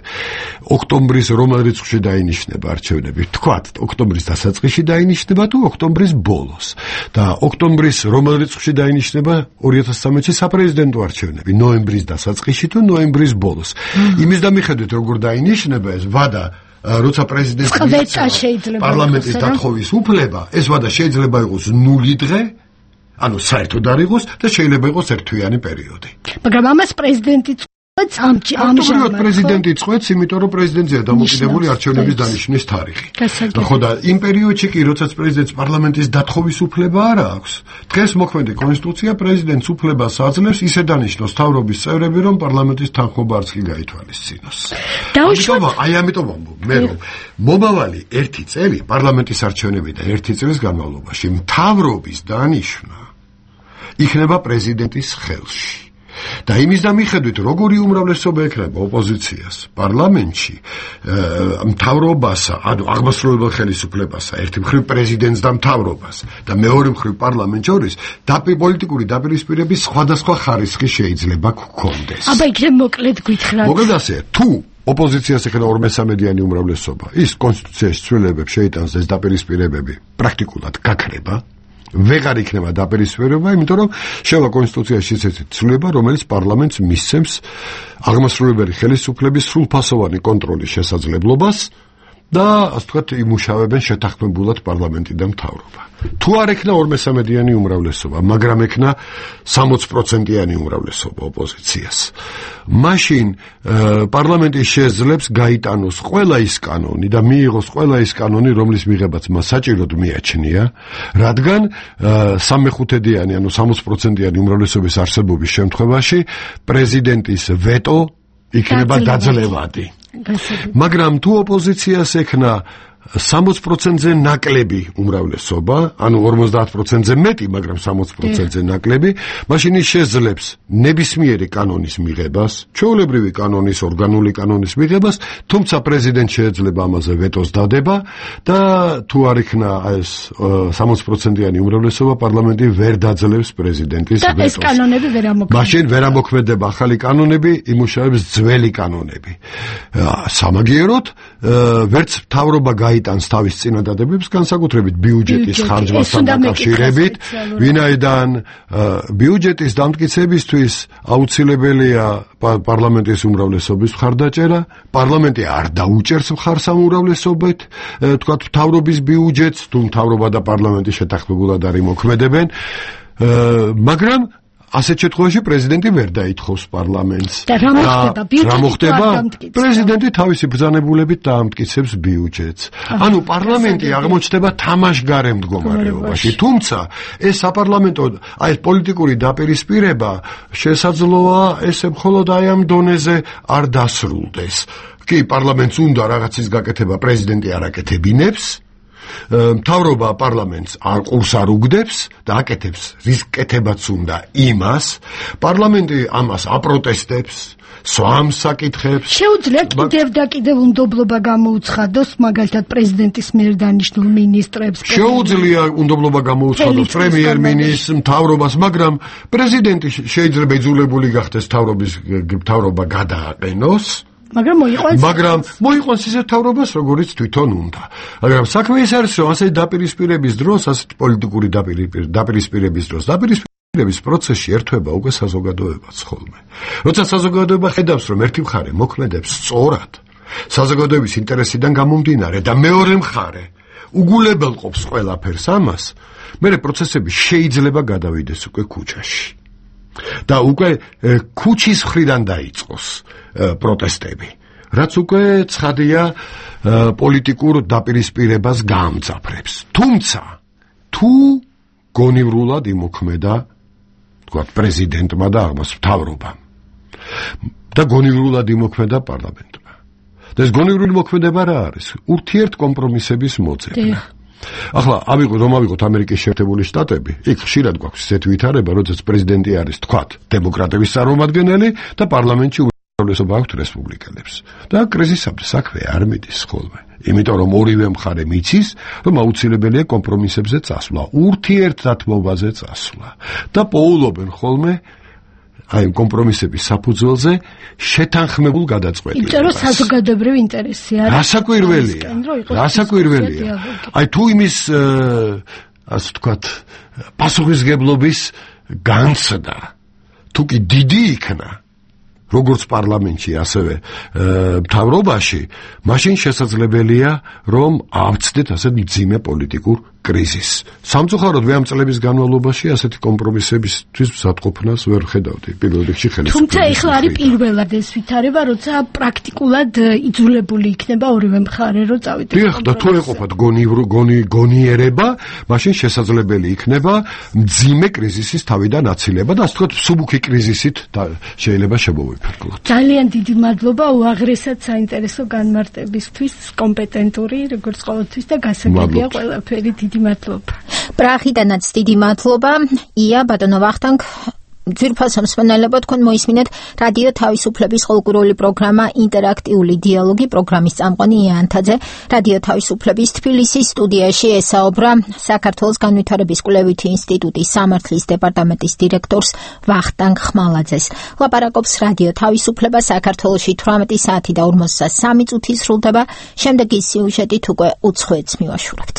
ოქტომბრის რომელ რიცხვში დაინიშნება არჩევნები. თქვათ, ოქტომბრის დასაწყისში დაინიშნება თუ ოქტომბრის ბოლოს. და ოქტომბრის რომელ რიცხვში დაინიშნება ორი ათას ცხრამეტში საპრეზიდენტო არჩევნები, ნოემბრის დასაწყისში თუ ნოემბრის ბოლოს. იმის დამიხედვით, როგორ დაინიშნება ეს ვადა როცა პრეზიდენტი პარლამენტის დათხოვის უფლება, ეს ვადა შეიძლება იყოს ნული დღე, ანუ საერთოდ არ იყოს და შეიძლება იყოს ერთვიანი პერიოდი.
მაგრამ ამას პრეზიდენტი
ამჟამად პრეზიდენტი წყვეტს, იმიტომ რომ პრეზიდენტზეა დამოკიდებული არჩევნების დანიშნვის თარიღი. ხო და იმ პერიოდში კი, როდესაც პრეზიდენტს პარლამენტის დათხოვის უფლება არ აქვს, დღეს მოქმედი კონსტიტუცია პრეზიდენტს უფლებას აძლევს ისე დანიშნოს მთავრობის წევრები, რომ პარლამენტის თანხმობა არც კი გაითვალისწინოს. ამიტომ აი ამიტომ ვამბობ მე რომ მომავალი ერთი წელი პარლამენტის არჩევნებიდან ერთი წლის განმავლობაში მთავრობის დანიშვნა იქნება პრეზიდენტის ხელში. და იმის დამიხედვით, როგორი უმრავლესობა ექნება ოპოზიციას პარლამენტში, მთავრობასა, ანუ აღმასრულებელ ხელისუფლებასა, ერთი მხრივ პრეზიდენტს და მთავრობას და მეორე მხრივ პარლამენტს შორის პოლიტიკური დაპირისპირების სხვადასხვა ხარისხი შეიძლება გქონდეს.
აბა იქნებ მოკლედ გითხრათ.
მოკლედ ასე, თუ ოპოზიციას ექნება ორმესამედიანი უმრავლესობა, ის კონსტიტუციაში ცვლილებებს შეიტანს ეს დაპირისპირებები პრაქტიკულად გაქრება. ვეღარ იქნება დაპირისპირება, იმიტომ რომ შევა კონსტიტუციაში ისეთი ცვლილება, რომელიც პარლამენტს მისცემს აღმასრულებელი ხელისუფლების სრულფასოვანი კონტროლის შესაძლებლობას და ასე ვთქვათ, იმუშავებენ შეთანხმებულად პარლამენტი და მთავრობა. თუ არ ექნა ორმესამედიანი უმრავლესობა, მაგრამ ექნა სამოცი პროცენტიანი უმრავლესობა ოპოზიციას, მაშინ პარლამენტი შეძლებს გაიტანოს ყველა ის კანონი და მიიღოს ყველა ის კანონი, რომლის მიღებაც მას საჭიროდ მიაჩნია, რადგან სამეხუთედიანი, ანუ სამოცი პროცენტიანი უმრავლესობის არსებობის შემთხვევაში პრეზიდენტის ვეტო იქნება დაძლევადი. მაგრამ თუ ოპოზიციას ექნა სამოცი პროცენტზე ნაკლები უმრავლესობა, ანუ ორმოცდაათ პროცენტზე მეტი, მაგრამ სამოცი პროცენტზე ნაკლები, მაშინ ის შეძლებს ნებისმიერი კანონის მიღებას, ჩვეულებრივი კანონის, ორგანული კანონის მიღებას, თუმცა პრეზიდენტ შეეძლება ამაზე ვეტოს დადება და თუ არ იქნა ეს სამოცი პროცენტიანი უმრავლესობა, პარლამენტი ვერ დაძლევს პრეზიდენტის ვეტოს.
და ეს კანონები ვერ ამოქმედება.
მაშინ ვერ ამოქმედება ახალი კანონები, იმუშავებს ძველი კანონები. სამაგიეროდ, ვერც მთავრობა გაიტანს თავის წინადადებებს, განსაკუთრებით ბიუჯეტის ხარჯვასთან დაკავშირებით, ვინაიდან ბიუჯეტის დამტკიცებისთვის აუცილებელია პარლამენტის უმრავლესობის მხარდაჭერა, პარლამენტი არ დაუჭერს მხარს ამ უმრავლესობით, თქვათ მთავრობის ბიუჯეტს, თუ მთავრობა და პარლამენტი შეთანხმებულად არ იმოქმედებენ, მაგრამ ასეთ შემთხვევაში პრეზიდენტი ვერ დაითხოვს პარლამენტს.
და რა მოხდება?
პრეზიდენტი თავისი ბრძანებულებით დაამტკიცებს ბიუჯეტს. ანუ პარლამენტი აღმოჩნდება თამაშგარე მდგომარეობაში. თუმცა ეს საპარლამენტო, აი პოლიტიკური დაპირისპირება შესაძლოა ესე მხოლოდ აი ამ დონეზე არ დასრულდეს. კი, პარლამენტს უნდა რაღაცის გაკეთება, პრეზიდენტი არ აკეთებინებს. მთავრობა პარლამენტს არ ყურს არ უგდებს და აკეთებს რის კეთებაც უნდა იმას, პარლამენტი ამას აპროტესტებს, სვამს საკითხებს.
შეუძლია კიდევ და კიდევ უნდობლობა გამოუცხადოს, მაგალითად პრეზიდენტის მიერ დანიშნულ მინისტრებს.
შეუძლია უნდობლობა გამოუცხადოს პრემიერ-მინისტრს, მთავრობას, მაგრამ პრეზიდენტი შეიძლება იძულებული გახდეს მთავრობის მთავრობა გადააყენოს.
მაგრამ მოიყვანს
მაგრამ მოიყვანს ისეთ თავრობას, როგორიც თვითონ უნდა. მაგრამ საქმე ის არის, რომ ასეთი დაპირისპირების დროს, ასეთი პოლიტიკური დაპირისპირების დროს, დაპირისპირების პროცესში ერთვება უკვე საზოგადოებაც ხოლმე. როცა საზოგადოება ხედავს, რომ ერთი მხარე მოქმედებს სწორად, საზოგადოების ინტერესიდან გამომდინარე და მეორე მხარე უგულებელყოფს ყველაფერს ამას, მერე პროცესები შეიძლება გადავიდეს უკვე ქუჩაში. და უკვე ქუჩის მხრიდან დაიწყოს პროტესტები, რაც უკვე ცხადია პოლიტიკურ დაპირისპირებას გაამძაფრებს. თუმცა თუ გონივრულად იმოქმედა, თქვა პრეზიდენტმა და აღმოს მთავრობამ და გონივრულად იმოქმედა პარლამენტმა. და ეს გონივრული მოქმედება რა არის? ურთიერთ კომპრომისების მოძებნა. ახლა ავიღოთ რომ ავიღოთ ამერიკის შეერთებული შტატები, იქ ხშირად გვაქვს ესეთი ვითარება, როდესაც პრეზიდენტი არის თქვათ დემოკრატების წარმომადგენელი და პარლამენტში უმრავლესობა აქვს რესპუბლიკელებს. და კრიზისამდე საქმე არ მიდის ხოლმე. იმიტომ რომ ორივე მხარე მიცის, რომ აუცილებელია კომპრომისებზე წასვლა, ურთიერთდათმობაზე წასვლა და პოულობენ ხოლმე აი კომპრომისების საფუძველზე შეთანხმებულ გადაწყვეტილებას.
იმიტომ რომ საზოგადოებრივი ინტერესი არის.
რასაკვირველია. რასაკვირველია. აი თუ იმის ასე ვთქვათ პასუხისგებლობის განცდა თუ კი დიდი იქნა, როგორც პარლამენტში, ასევე მთავრობაში, მაშინ შესაძლებელია რომ ავწდეთ ასეთ მძიმე პოლიტიკურ კრიზისს. სამწუხაროდ მე ამ წლების განმავლობაში ასეთი კომპრომისებისთვის მზადყოფნას ვერ ხედავდი პირველ რიგში ხელისუფლების.
თუმცა ეხლა არის პირველად ეს ვითარება, როცა პრაქტიკულად იძულებული იქნება ორივე მხარე რომ წავიდეს.
დიახ, და თუ ეყოფათ გონი გონიერება, მაშინ შესაძლებელი იქნება მძიმე კრიზისის თავიდან აცილება და ასე ვთქვათ მსუბუქი კრიზისით შეიძლება შემოვიფერკლოთ.
ძალიან დიდი მადლობა უაღრესად საინტერესო განმარტებისთვის, კომპეტენტური, როგორც ყოველთვის და გასაგებია ყველაფერი. დიდი მადლობა.
პრაღიდანაც დიდი მადლობა. ია ბატონო ვახტანგ, ძვირფასო მსმენელებო, თქვენ მოისმინეთ რადიო თავისუფლების ყოლკურული პროგრამა ინტერაქტიული დიალოგი, პროგრამის წამყვანი ია ანთაძე. რადიო თავისუფლების თბილისის სტუდიაში ესაუბრა საქართველოს განვითარების კვლევითი ინსტიტუტის სამართლის დეპარტამენტის დირექტორს ვახტანგ ხმალაძეს. ლაპარაკობს რადიო თავისუფლება საქართველოში თვრამეტი საათი და ორმოცდასამი წუთი სრულდება. შემდეგი სიუჟეტით უკვე უცხოეთს მივაშურებთ.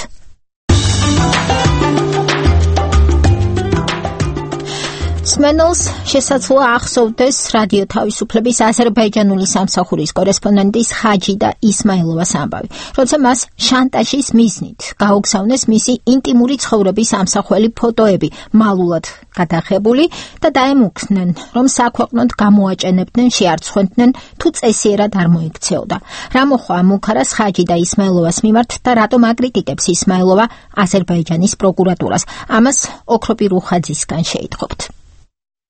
სმენელს შესაძლოა ახსოვდეს რადიო თავისუფლების აზერბაიჯანული სამსახურის კორესპონდენტის ხაჯი და ისმაილოვას ამბავი, როცა მას შანტაჟის მიზნით გაუგზავნეს მისი ინტიმური ცხოვრების ამსახველი ფოტოები მალულად გადაღებული და დაემუქრნენ, რომ საქვეყნოდ გამოაჭენებდნენ, შეარცხვენდნენ, თუ წესიერად არ მოიქცეოდა. რა მოხდა მუქარას ხაჯი და ისმაილოვას მიმართ და რატომ აკრიტიკებს ისმაილოვა აზერბაიჯანის პროკურატურას? ამას ოქროპი რუხაძისგან შეიტყობთ.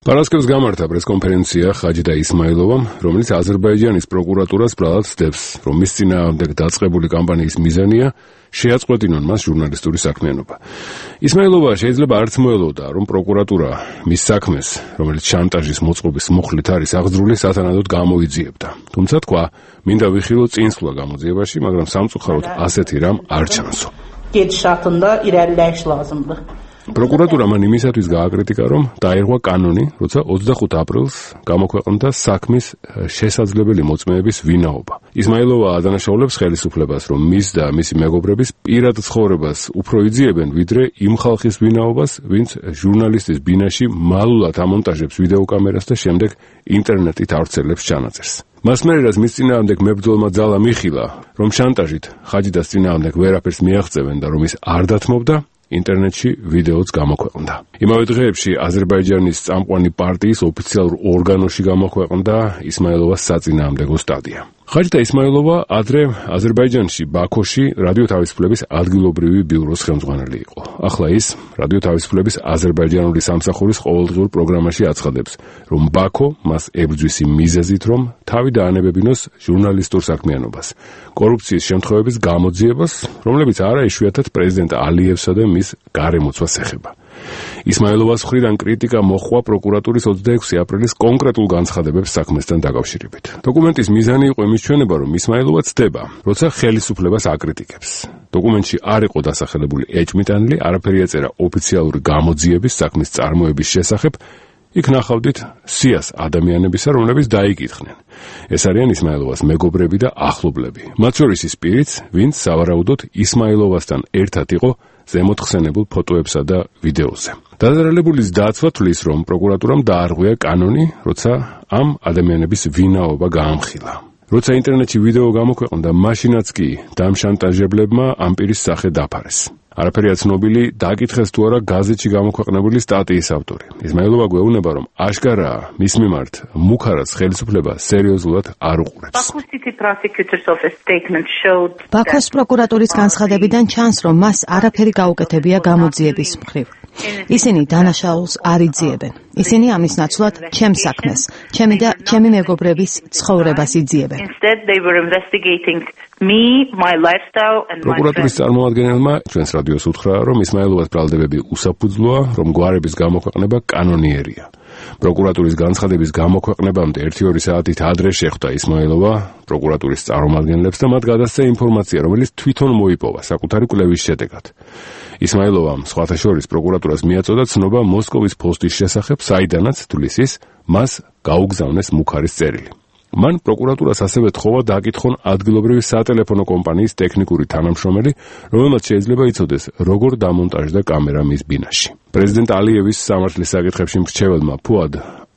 პარასკევს გამართა პრესკონფერენცია ხაჯიდა ისმაილოვამ, რომელიც აზერბაიჯანის პროკურატურას ბრალად სდევს, რომ მის წინააღმდეგ დაწყებული კამპანიის მიზანია შეაწყვეტინონ მას ჟურნალისტური საქმიანობა. ისმაილოვა შეიძლება არც მოელოდა, რომ პროკურატურა მის საქმეს, რომელიც შანტაჟის მოწყობის მუხლით არის აღძრული, სათანადოდ გამოიძიებდა. თუმცა თქვა, მინდა ვიხილო წინსვლა გამოძიებაში, მაგრამ სამწუხაროდ ასეთი რამ არ ჩანსო. პროკურატურა მან იმისათვის გააკრიტიკა, რომ დაერღვა კანონი, როცა ოცდახუთ აპრილს გამოქვეყნდა საქმის შესაძლებელი მოწმეების ვინაობა. ისმაილოვა ადანაშაულებს ხელისუფლებას, რომ მის და მისი მეგობრების პირად ცხოვრებას უფრო იძიებენ, ვიდრე იმ ხალხის ვინაობას, ვინც ჟურნალისტის ბინაში მალულად ამონტაჟებს ვიდეოკამერას და შემდეგ ინტერნეტით ავრცელებს ჩანაწერს. მას მერე რაც მის წინააღმდეგ მებრძოლმა ძალა მიხილა, რომ შანტაჟით ხაჯიდას წინააღმდეგ ვერაფერს მიაღწევენ და რომ ის არ დათმობდა, ინტერნეტში ვიდეოც გამოქვეყნდა. იმავე დღეებში აზერბაიჯანის წამყვანი პარტიის ოფიციალურ ორგანოში გამოქვეყნდა ისმაილოვას საწინააღმდეგო სტატია. ხაჯიდა ისმაილოვა ადრე აზერბაიჯანში, ბაქოში რადიო თავისუფლების ადგილობრივი ბიუროს ხელმძღვანელი იყო. ახლა ის რადიო თავისუფლების აზერბაიჯანული სამსახურის ყოველდღიურ პროგრამაში აცხადებს, რომ ბაქო მას ებრძვის იმ მიზეზით, რომ თავი დაანებებინოს ჟურნალისტურ საქმიანობას, კორუფციის შემთხვევების გამოძიებას, რომლებიც არა იშვიათად პრეზიდენტ ალიევსა და მის გარემოცვას ეხება. ისმაილოვას მხრიდან კრიტიკა მოჰყვა პროკურატურის ოცდაექვსი აპრილის კონკრეტულ განცხადებებს საქმესთან დაკავშირებით. დოკუმენტის მიზანი იყო იმის ჩვენება, რომ ისმაილოვა ცდება, როცა ხელისუფლებას აკრიტიკებს. დოკუმენტში არ იყო დასახელებული ეჭვმიტანილი, არაფერი ეწერა ოფიციალური გამოძიების საქმის წარმოების შესახებ, იქ ნახავდით სიას ადამიანებისა, რომლებიც დაიკითხნენ. ეს არიან ისმაილოვას მეგობრები და ახლობლები. მათ შორის ის პირიც, ვინც სავარაუდოდ ისმაილოვასთან ერთად იყო ზემოთხსენებულ ფოტოებსა და ვიდეოზე. დაზარალებულის დაცვა თვლის, რომ პროკურატურამ დაარღვია კანონი, როცა ამ ადამიანების ვინაობა გაამხილა. როცა ინტერნეტში ვიდეო გამოქვეყნდა, მაშინაც კი დამშანტაჟებლებმა ამ პირის სახე დაფარეს. არაფერია ცნობილი, დაკითხეს თუ არა გაზეთში გამოქვეყნებული სტატიის ავტორი. ისმაილოვა გვეუბნება, რომ აშკარაა მის მიმართ მუქარას ხელისუფლება სერიოზულად არ უყურებს.
ბაქოს პროკურატურის განცხადებიდან ჩანს, რომ მას არაფერი გაუკეთებია გამოძიების მხრივ. ისინი დანაშაულს არ იძიებენ. ისინი ამის ნაცვლად ჩემს საქმეს, ჩემი და ჩემი მეგობრების ცხოვრებას იძიებენ.
პროკურატურის წარმომადგენელმა ჩვენს რადიოს უთხრა, რომ ისმაილოვას ბრალდებები უსაფუძვლოა, რომ გვარების გამოქვეყნება კანონიერია. პროკურატურის განცხადების გამოქვეყნებამდე ერთი-ორი საათით ადრე შეხვდა ისმაილოვა პროკურატურის წარმომადგენლებს და მათ გადასცა ინფორმაცია, რომელიც თვითონ მოიპოვა საკუთარი კვლევის შედეგად. ისმაილოვამ სხვათა შორის პროკურატურას მიაწოდა ცნობა მოსკოვის ფოსტის შესახებ, საიდანაც თვლის ის მას გაუგზავნეს მუქარის წერილი. მან პროკურატურას ასევე თხოვა დააკითხონ ადგილობრივი სატელეფონო კომპანიის ტექნიკური თანამშრომელი, რომელმაც შეიძლება იცოდეს, როგორ დამონტაჟდა კამერა მის ბინაში. პრეზიდენტ ალიევის სამართლის საკითხებში მრჩეველმა ფუად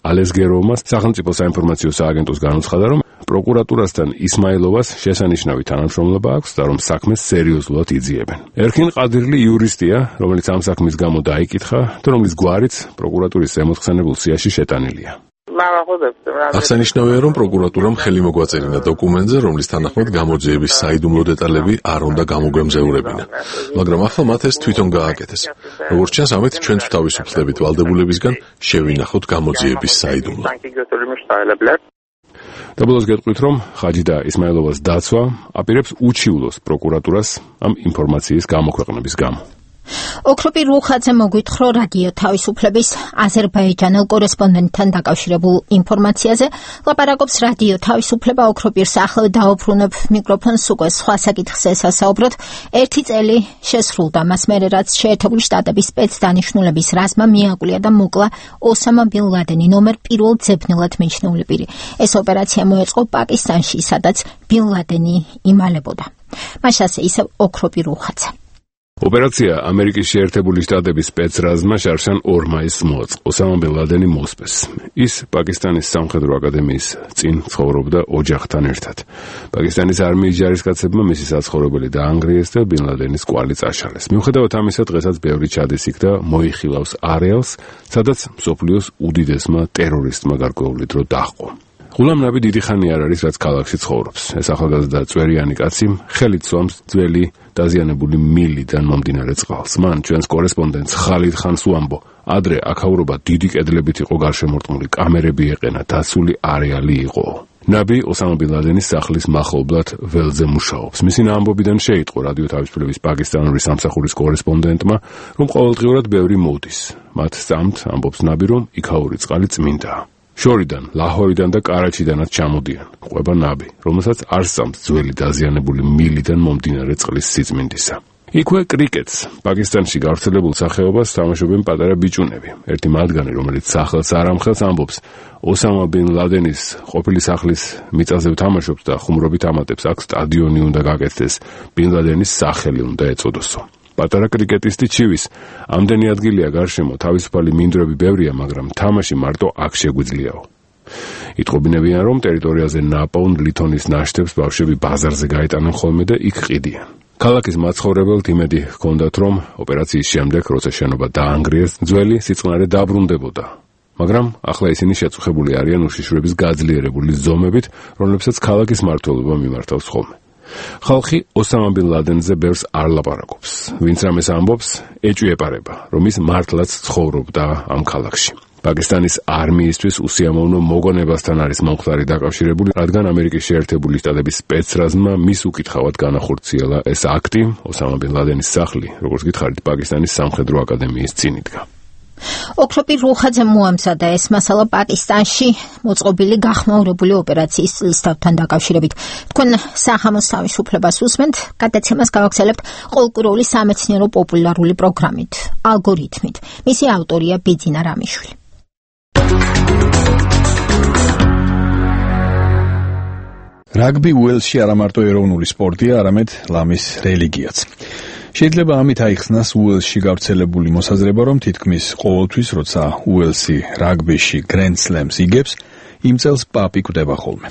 ალესგეროვმა სახელმწიფო საინფორმაციო სააგენტოს განუცხადა, რომ პროკურატურასთან ისმაილოვას შესანიშნავი თანამშრომლობა აქვს და რომ საქმეს სერიოზულად იძიებენ. ერქინ ყადირლი იურისტია, რომელიც ამ საქმის გამო დაიკითხა და რომლის გვარიც პროკურატურის ზემოთხსენებულ სიაში შეტანილია.
აღსანიშნავია, რომ პროკურატურამ ხელი მოგვაწერინა დოკუმენტზე, რომლის თანახმად გამოძიების საიდუმლო დეტალები არ უნდა გამოგვემზეურებინა, მაგრამ ახლა მათ ეს თვითონ გააკეთეს. როგორც ჩანს, ამით ჩვენც თავისუფლებით ვალდებულებისგან შევინახოთ გამოძიების საიდუმლო. და ბოლოს გეტყვით, რომ ხაჯიდა ისმაილოვას დაცვა აპირებს უჩივლოს პროკურატურას ამ ინფორმაციის გამოქვეყნების გამო.
ოქროპი რუხაძე მოგვითხრა რადიო თავისუფლების აზერბაიჯანელ კორესპონდენტთან დაკავშირებულ ინფორმაციაზე. ლაპარაკობს რადიო თავისუფლება ოქროპირს ახლა დაუბრუნებ მიკროფონს უკვე სხვა საკითხზე სასაუბროთ. ერთი წელი შესრულდა მას მერე, რაც შეერთებული შტატების სპეცდანიშნულების რაზმმა მიაკვლია და მოკლა ოსამა ბინ ლადენი ნომერ პირველ ძებნელად მიჩნეული პირი. ეს ოპერაცია მოეწყო პაკისტანში, სადაც ბინ ლადენი იმალებოდა. მას ასე ისევ ოქროპი რუხაძე.
ოპერაცია ამერიკის შეერთებული შტატების სპეცრაზმმა შარშან ორ მაისს მოაწყო. ოსამა ბინ ლადენი მოსპეს. ის პაკისტანის სამხედრო აკადემიის წინ ცხოვრობდა ოჯახთან ერთად. პაკისტანის არმიის ჯარისკაცებმა მისი საცხოვრებელი დაანგრიეს და ბინ ლადენის კვალი წაშალეს. მიუხედავად ამისა, დღესაც ბევრი ჩადის იქ და მოიხილავს არეალს, სადაც მსოფლიოს უდიდესმა ტერორისტმა გარკვეული დრო დაჰყო. ღულამ ნაბი დიდი ხანი არ არის, რაც ქალაქში ცხოვრობს. ეს ახალგაზრდა წვერიანი კაცი ხელით სვამს ძველი დაზიანებული მილიდან მომდინარე წყალს. მან ჩვენს კორესპონდენტს ხალიდ ხანს უამბო ადრე აქაურობა დიდი კედლებით იყო გარშემორტყმული, კამერები ეყენა, დაცული არეალი იყო. ნაბი ოსამა ბინ ლადენის სახლის მახლობლად ველზე მუშაობს. მისი ამბობიდან შეიტყო რადიო თავისუფლების პაკისტანური სამსახურის კორესპონდენტმა, რომ ყოველდღიურად ბევრი მოდის. მათ სწამთ ამბობს ნაბი, რომ იქაური წყალი წმინდაა. შორიდან, ლაჰორიდან და კარაჩიდანაც ჩამოდიან. ყვება ნაბი, რომელსაც არ სწამთ ძველი დაზიანებული მილიდან მომდინარე წყლის სიწმინდისა. იქვე კრიკეტს, პაკისტანში გავრცელებულ სახეობას თამაშობენ პატარა ბიჭუნები. ერთი მათგანი, რომელიც სახელს არ ამხელს, ამბობს, ოსამა ბინ ლადენის ყოფილი სახლის მიწაზე ვთამაშობთ და ხუმრობით ამატებს, აქ სტადიონი უნდა გაკეთდეს, ბინ ლადენის სახელი უნდა ეწოდოსო. პატარა კრიკეტისტი ჩივის, ამდენი ადგილია გარშემო, თავისუფალი მინდვრები ბევრია, მაგრამ თამაში მარტო აქ შეგვიძლიაო. იტყობინებიან, რომ ტერიტორიაზე ნაპოვნ ლითონის ნაშთებს ბავშვები ბაზარზე გაეტანენ ხოლმე და იქ ყიდიან. ქალაქის მაცხოვრებელთ იმედი ჰქონდათ, რომ ოპერაციის შემდეგ, როცა შენობა დაანგრიეს, ძველი სიწყნარე დაბრუნდებოდა. მაგრამ ახლა ისინი შეწუხებული არიან უშიშროების გაძლიერებული ზომებით, რომლებსაც ქალაქის მმართველობა მიმართავს ხოლმე. ხალხი ოსამა ბინ ლადენზე ბევრს არ ლაპარაკობს. ვინც რამეს ამბობს, ეჭვი ეპარება, რომ ის მართლაც ცხოვრობდა ამ ქალაქში. პაკისტანის არმიისთვის უსიამოვნო მოგონებასთან არის მომხდარი დაკავშირებული, რადგან ამერიკის შეერთებული შტატების სპეცრაზმა მის უკითხავად განახორციელა ეს აქტი, ოსამა ბინ ლადენის სახლი, როგორც გითხარით, პაკისტანის სამხედრო აკადემიის წინ იდგა.
ოქროპი რუხაძემ მოამზადა ეს მასალა პაკისტანში მოწყობილი გახმაურებული ოპერაციის წლისთავთან დაკავშირებით. თქვენ სახამოს თავისუფლებას უსმენთ, გადაცემას გავაგრძელებთ ყოლკუროვი სამეცნიერო პოპულარული პროგრამით, ალგორითმით. მისი ავტორია ბიძინა რამიშვილი.
რაგბი უელსში არა მარტო ეროვნული სპორტია, არამედ ლამის რელიგიაც. შეიძლება ამით აიხსნას უელსში გავრცელებული მოსაზრება, რომ თითქმის ყოველთვის, როცა უელსი რაგბიში გრენდ სლემს იგებს, იმ წელს პაპი კვდება ხოლმე.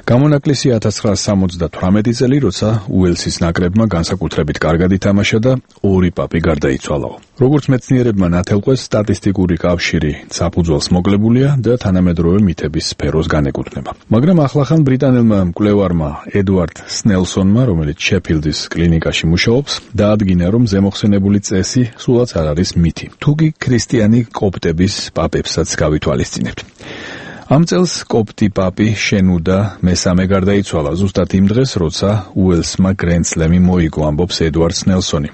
გამონაკლისი ათას ცხრაასი სამოცდათვრამეტი წელი, როცა უელსის ნაკრებმა განსაკუთრებით კარგად ითამაშა და ორი პაპი გარდაიცვალაო. როგორც მეცნიერებმა ნათელყვეს, სტატისტიკური კავშირი საფუძველს მოკლებულია და თანამედროვე მითების სფეროს განეკუთვნება. მაგრამ ახლახან ბრიტანელმა მკვლევარმა ედვარდ სნელსონმა, რომელიც შეფილდის კლინიკაში მუშაობს, დაადგინა, რომ ზემოხსენებული წესი სულაც არ არის მითი. თუკი ქრისტიანი კოპტების პაპებსაც გავითვალისწინებთ. ამ წელს კოპტი პაპი შენუდა მესამე გარდაიცვალა ზუსტად იმ დღეს, როცა უელსმა გრენდ სლემი მოიგო, ამბობს ედვარდ სნელსონი.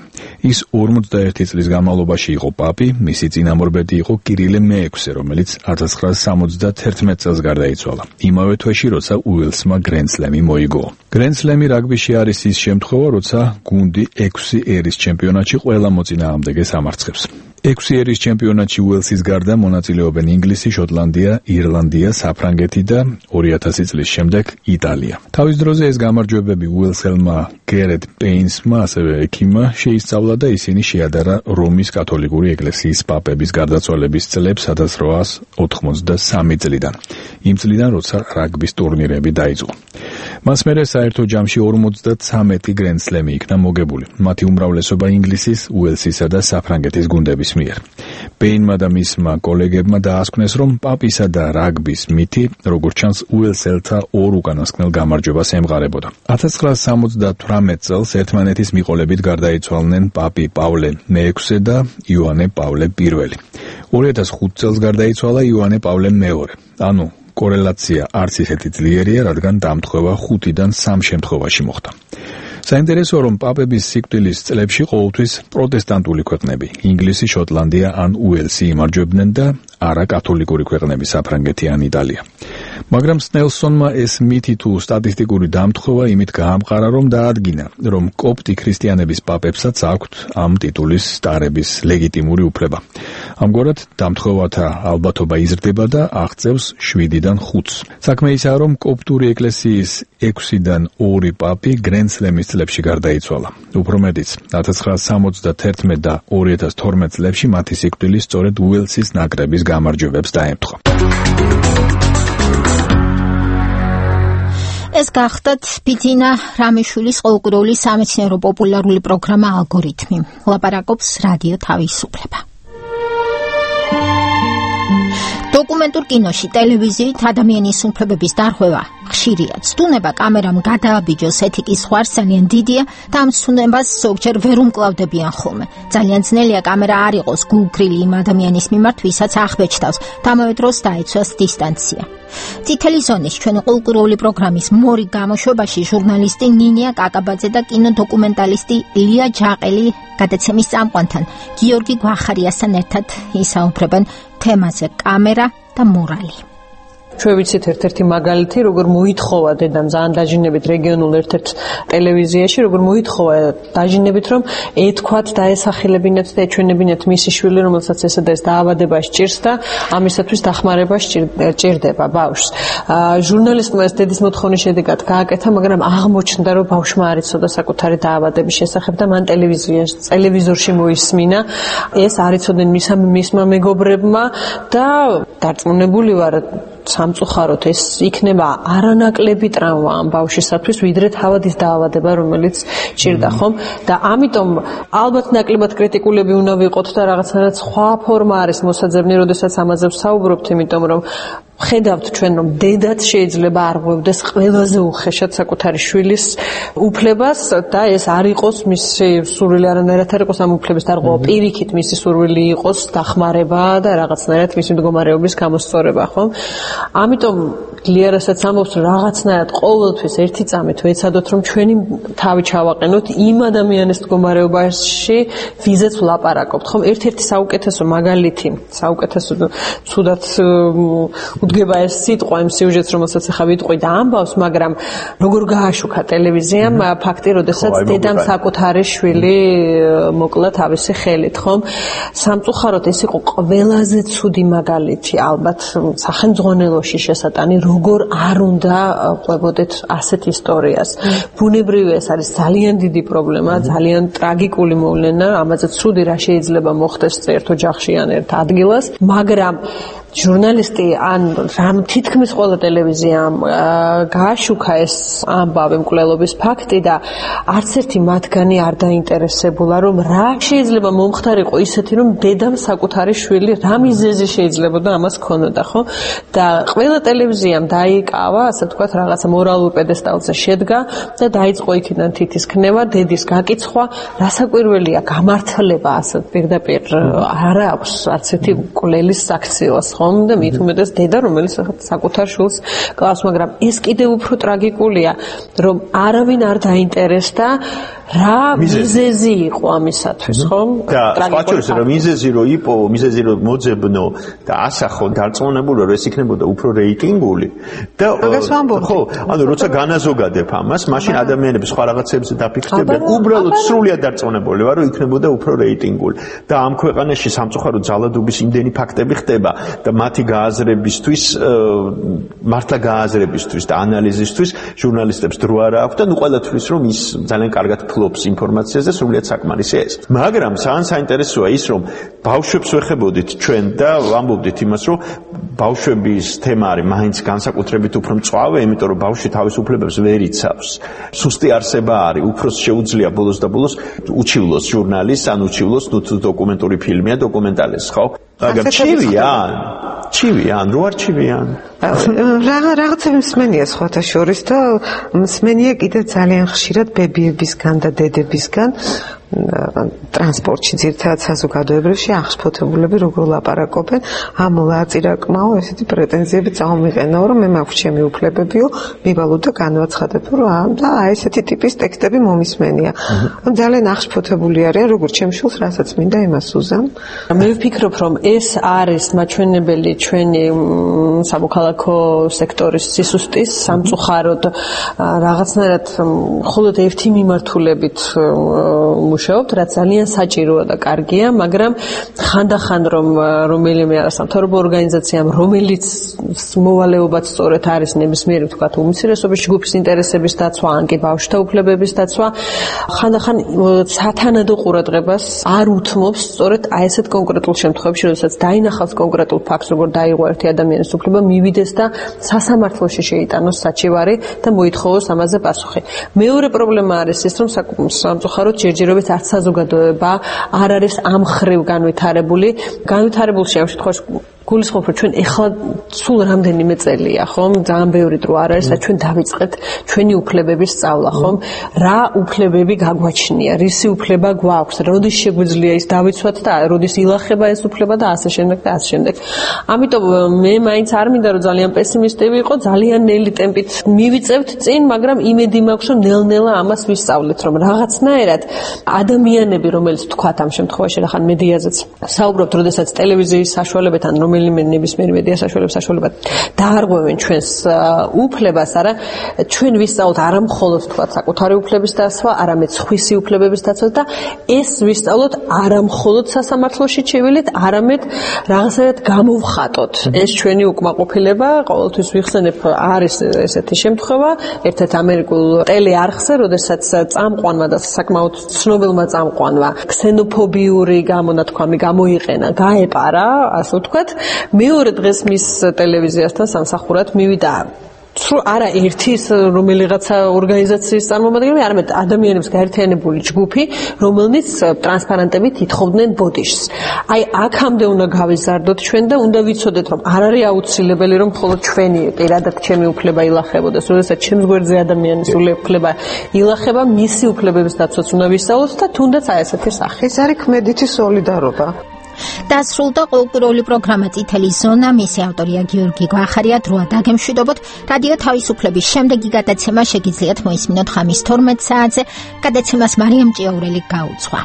ის ორმოცდაერთი წლის განმავლობაში იყო პაპი, მისი წინამორბედი იყო კირილე მეექვსე, რომელიც ათას ცხრაასი სამოცდათერთმეტ წელს გარდაიცვალა. იმავე თვეში, როცა უელსმა გრენდ სლემი მოიგო. გრენდ სლემი რაგბიში არის ის შემთხვევა, როცა გუნდი ექვსი ერის ჩემპიონატში ყველა მოწინააღმდეგეს ამარცხებს. ექვსი ერის ჩემპიონატში უელსის გარდა მონაწილეობენ ინგლისი, შოტლანდია, ირლანდია, საფრანგეთი და ორი ათასი წლის შემდეგ იტალია. თავის დროზე ეს გამარჯვებები უელსელმა გერეთ პეინსმა, ასევე ექიმმა შეისწავლა და ისინი შეადარა რომის კათოლიკური ეკლესიის პაპების გარდაცვალების წლებს ათას რვაასი ოთხმოცდასამი წლიდან. იმ წლიდან, როცა რაგბის ტურნირები დაიწყო. მას მერე საერთო ჯამში ორმოცდათვრამეტი გრენდ სლემი იქნა მოგებული. მათი უმრავლესობა ინგლისის, უელსისა და საფრანგეთის გუნდების მიერ. პეინმა და მისმა კოლეგებმა დაასკვნეს, რომ პაპისა და რაგბის მითი, როგორც ჩანს, უელსელთა ორ უკანასკნელ გამარჯვებას ემყარებოდა. ათას ცხრაასი სამოცდათვრამეტ წელს ერთმანეთის მიყოლებით გარდაიცვალნენ პაპი პავლე მეექვსე და იოანე პავლე პირველი. ორი ათას ხუთი წელს გარდაიცვალა იოანე პავლე მეორე. ანუ კორელაცია არც ისეთი ძლიერია, რადგან დამთხევა ხუთიდან სამ შემთხვევაში მოხდა. საინტერესოა, რომ პაპების სიკვდილის წლებში ყოველთვის პროტესტანტული ქვეყნები, ინგლისი, შოტლანდია ან უელსი იმარჯვებდნენ და არა კათოლიკური ქვეყნები, საფრანგეთი ან იტალია. მაგრამ სნელსონმა ეს მითი თუ სტატისტიკური დამთხევა იმით გაამყარა, რომ დაადგინა, რომ კოპტი ქრისტიანების პაპებსაც აქვთ ამ ტიტულის სტარების ლეგიტიმური უფლება. ამგვარად დამთხევათა ალბათობა იზრდება და აღწევს შვიდიდან ხუთს. საქმე ისაა, რომ კოპტური ეკლესიის ექვსიდან ორი პაპი გრენდ სლემის წლებში გარდაიცვალა. უფრო მეტიც, ათას ცხრაასი სამოცდათერთმეტ და ორი ათას თორმეტ წლებში მათი სიკვდილი სწორედ უელსის ნაკრების გამარჯვებებს დაემთხვა.
ეს გახდათ ბიძინა რამიშვილის ყოლკუროვი სამეცნიერო პოპულარული პროგრამა ალგორითმი. ლაპარაკობს რადიო თავისუფლება. დოკუმენტურ კინოში, ტელევიზიით ადამიანის უფლებების დარღვევა ხშირია. ცდუნება კამერამ გადააბიჯოს ეთიკის სხვა არსენიან დიდია და ამ ცდუნებას ზოგჯერ ვერ უმკლავდებიან ხოლმე. ძალიან ძნელია კამერა არ იყოს გულგრილი იმ ადამიანის მიმართ, ვისაც აღბეჭდავს და ამავე დროს დაიცვას დისტანცია. წითელი ზონის ჩვენი კულტურული პროგრამის მორი გამოშვებაში ჟურნალისტი ნინია კაკაბაძე და კინოდოკუმენტალისტი ლია ჯაყელი გადაცემის წამყვანთან გიორგი გვახარიასთან ერთად ისაუბრებენ თემაზე კამერა და მორალი.
ჩვენ ვიცით ერთ-ერთი მაგალითი, როგორ მოითხოვა დედამ ძალიან დაჟინებით რეგიონულ ერთ-ერთ ტელევიზიაში, როგორ მოითხოვა დაჟინებით, რომ ეთქვათ და ესახელებინათ და ეჩვენებინათ მისი შვილი, რომელსაც ესა და ეს დაავადება სჭირს და ამისათვის დახმარება სჭირდება ბავშვს. ჟურნალისტმა ეს დედის მოთხოვნის შედეგად გააკეთა, მაგრამ აღმოჩნდა, რომ ბავშვმა არ იცოდა საკუთარი დაავადების შესახებ და მან ტელევიზიაში, ტელევიზორში მოისმინა. ეს არ იცოდნენ მისმა მეგობრებმა და დარწმუნებული ვარ სამწუხაროდ ეს იქნება არანაკლები ტრავმა ამ ბავშვისათვის, ვიდრე თავადის დაავადება, რომელიც ჭირდა, ხომ? და ამიტომ ალბათ ნაკლებად კრიტიკულები უნდა ვიყოთ და რაღაცნაირად სხვა ფორმა არის მოსაძებნი, როდესაც ამაზე ვსაუბრობთ, იმიტომ რომ ხედავთ ჩვენ, რომ დედაც შეიძლება არ ღვევდეს ყველაზე უხეშად საკუთარი შვილის უფლებას და ეს არ იყოს მისი სურვილი, არანაირად არ იყოს ამ უფლების დარღვევა, პირიქით მისი სურვილი იყოს დახმარება და რაღაცნაირად მისი მდგომარეობის გამოსწორება, ხო? ამიტომ ლიერასაც ამბობს, რომ რაღაცნაირად ყოველთვის ერთი წამით ვეცადოთ, რომ ჩვენი თავი ჩავაყენოთ იმ ადამიანის მდგომარეობაში, ვიზეც ვლაპარაკობთ, ხომ? ერთ-ერთი საუკეთესო მაგალითი, საუკეთესო ცუდად უდგება ეს სიტყვა იმ სიუჟეტს, რომელსაც ახლა ვიტყვი და ამბავს, მაგრამ როგორ გააშუქა ტელევიზიამ ფაქტი, როდესაც დედამ საკუთარი შვილი მოკლა თავისი ხელით, ხომ? სამწუხაროდ ეს იყო ყველაზე ცუდი მაგალითი, ალბათ სახელმძღვანელოში შესატანი, როგორ არ უნდა ყვებოდეთ ასეთ ისტორიას. ბუნებრივია, ეს არის ძალიან დიდი პრობლემა, ძალიან ტრაგიკული მოვლენა, ამაზე ცუდი რა შეიძლება მოხდეს ერთ ოჯახში ან ერთ ადგილას, მაგრამ ჟურნალისტი ან რამ თითქმის ყველა ტელევიზიამ გააშუქა ეს ამბავი მკვლელობის ფაქტი და არც ერთი მათგანი არ დაინტერესებულა, რომ რა შეიძლება მომხდარიყო ისეთი, რომ დედამ საკუთარი შვილი რა მიზეზი შეიძლებოდა ამას ქონოდა, ხო? და ყველა ტელევიზიამ დაიკავა, ასე ვთქვათ, რაღაცა მორალურ პედესტალზე შედგა და დაიწყო იქიდან თითის ქნება, დედის გაკიცხვა, რასაკვირველია, გამართლება ასე პირდაპირ არ აქვს არც ერთი მკვლელის საქციელს. ხომ და მით უმეტეს დედა, რომელიც საკუთარ შვილს კლავს, მაგრამ ეს კიდევ უფრო ტრაგიკულია, რომ არავინ არ დაინტერესდა რა მიზეზი იყო ამისათვის, ხომ?
და სხვა შორის რომ მიზეზი რო იყო, მიზეზი რო მოძებნო და ასახო დარწმუნებული რომ ეს იქნებოდა უფრო რეიტინგული და ხო, ანუ როცა განაზოგადებ ამას, მაშინ ადამიანები სხვა რაღაცებზე დაფიქსირებენ, უბრალოდ სრულიად დარწმუნებული ვარ რომ იქნებოდა უფრო რეიტინგული. და ამ ქვეყანაში სამწუხაროდ ძალადობის იმდენი ფაქტები ხდება და მათი გააზრებისთვის, მართლა გააზრებისთვის და ანალიზისთვის ჟურნალისტებს დრო არ აქვს და ნუ ყველა თვლის რომ ის ძალიან კარგად ფლობს ინფორმაციაზე, სრულიად საკმარისი ეს. მაგრამ ძალიან საინტერესოა ის, რომ ბავშვებს ვეხებოდით ჩვენ და ვამბობდით იმას, რომ ბავშვების თემა არის მაინც განსაკუთრებით უფრო მწვავე, იმიტომ რომ ბავშვი თავის უფლებებს ვერ იცავს. სუსტი არსება არის, უფროს შეუძლია ბოლოს და ბოლოს უჩივლოს ჟურნალისტს, ან უჩივლოს ნუ დოკუმენტური ფილმია, დოკუმენტალისტს, ხო? მაგრამ ჩივიან, ჩივიან, რო არ ჩივიან.
რაღა რაღაცები მსმენია სხვათა შორის და მსმენია კიდევ ძალიან ხშირად ბებიებისგან და დედებისგან ტრანსპორტში, ძირითადად საზოგადოებრივში აღშფოთებულები როგორ ლაპარაკობენ, ამოლა აწირაკმაო ესეთი პრეტენზიები წამომიყენაო, რომ მე მაქვს ჩემი უფლებებიო, მივალო და განვაცხადებო, რომ და აი ესეთი ტიპის ტექსტები მომისმენია. ძალიან აღშფოთებული არიან, როგორც ჩემ შვილს, რასაც მინდა იმას უზამ.
მე ვფიქრობ, რომ ეს არის მაჩვენებელი ჩვენი სამოქალაქო სექტორის სისუსტის, სამწუხაროდ რაღაცნაირად მხოლოდ ერთი მიმართულებით მუშაობთ, რაც ძალიან საჭიროა და კარგია, მაგრამ ხანდახან რომ რომელიმე არასამთავრობო ორგანიზაციამ, რომელიც მოვალეობაც სწორედ არის ნებისმიერი ვთქვათ უმცირესობის ჯგუფის ინტერესების დაცვა, ან კი ბავშვთა უფლებების დაცვა, ხანდახან სათანადო ყურადღებას არ უთმობს სწორედ აი ესეთ კონკრეტულ შემთხვევებში, როდესაც დაინახავს კონკრეტულ ფაქტს, როგორ დაიღო ერთი ადამიანის უფლება, მივიდეს და სასამართლოში შეიტანოს საჩივარი და მოითხოვოს ამაზე პასუხი. მეორე პრობლემა არის ის, რომ სამწუხაროდ ჯერჯერობით არც საზოგადოება არ არის ამ ხრივ განვითარებული. განვითარებულში ამ შემთხვევაში გულისხმობ რომ ჩვენ ეხლა სულ რამდენიმე წელია ხომ ძალიან ბევრი დრო არ არის და ჩვენ დავიწყეთ ჩვენი უფლებების სწავლა ხომ რა უფლებები გაგვაჩნია რისი უფლება გვაქვს როდის შეგვიძლია ის დავიცვათ და როდის ილახება ეს უფლება და ასე შემდეგ და ასე შემდეგ ამიტომ მე მაინც არ მინდა რომ ძალიან პესიმისტი ვიყო ძალიან ნელი ტემპით მივიწევთ წინ მაგრამ იმედი მაქვს რომ ნელ-ნელა ამას ვისწავლეთ რომ რაღაცნაირად ადამიანები რომელიც თქვათ ამ შემთხვევაში რახან მედიაზეც საუბრობთ როდესაც ტელევიზიის საშუალებებთან რომელიმე ნებისმიერ მედია საშუალებას საშუალებად დაარღვევენ ჩვენს უფლებას არა ჩვენ ვისწავლოთ არა მხოლოდ თქვათ საკუთარი უფლების დასვა არამედ სხვისი უფლებების დაცვა და ეს ვისწავლოთ არა მხოლოდ სასამართლოში ჩევილით არამედ რაღაცნაირად გამოვხატოთ ეს ჩვენი უკმაყოფილება ყოველთვის ვიხსენებ არის ესეთი შემთხვევა ერთ-ერთ ამერიკულ ტელეარხზე როდესაც წამყვანმა და საკმაოდ ცნობილმა წამყვანმა ქსენოფობიური გამონათქვამი გამოიყენა გაეპარა ასე ვთქვათ მეორე დღეს მის ტელევიზიასთან სამსახურად მივიდა სულ არა ერთი რომელიღაცა ორგანიზაციის წარმომადგენელი, არამედ ადამიანების გაერთიანებული ჯგუფი, რომელნიც ტრანსპარენტებით ითხოვდნენ ბოდიშს. აი, აქამდე უნდა გავიზარდოთ ჩვენ და უნდა ვიცოდეთ, რომ არ არის აუცილებელი, რომ მხოლოდ ჩვენი პირადად ჩემი უფლება ილახებოდეს, როდესაც ჩემს გვერდზე ადამიანის უფლება ილახება, მისი უფლებების დაცვაც უნდა ვისწავლოთ და თუნდაც აი ესეთი სახე.
ეს არის ქმედითი სოლიდარობა.
დასრულდა ყოველკვირეული პროგრამა წითელი ზონა, მისი ავტორია გიორგი გვახარია, დროა დაგემშვიდობოთ. რადიო თავისუფლების შემდეგი გადაცემა შეგიძლიათ მოისმინოთ ხამის თორმეტ საათზე. გადაცემას მარიამ ჭიაურელი გაუძღვა.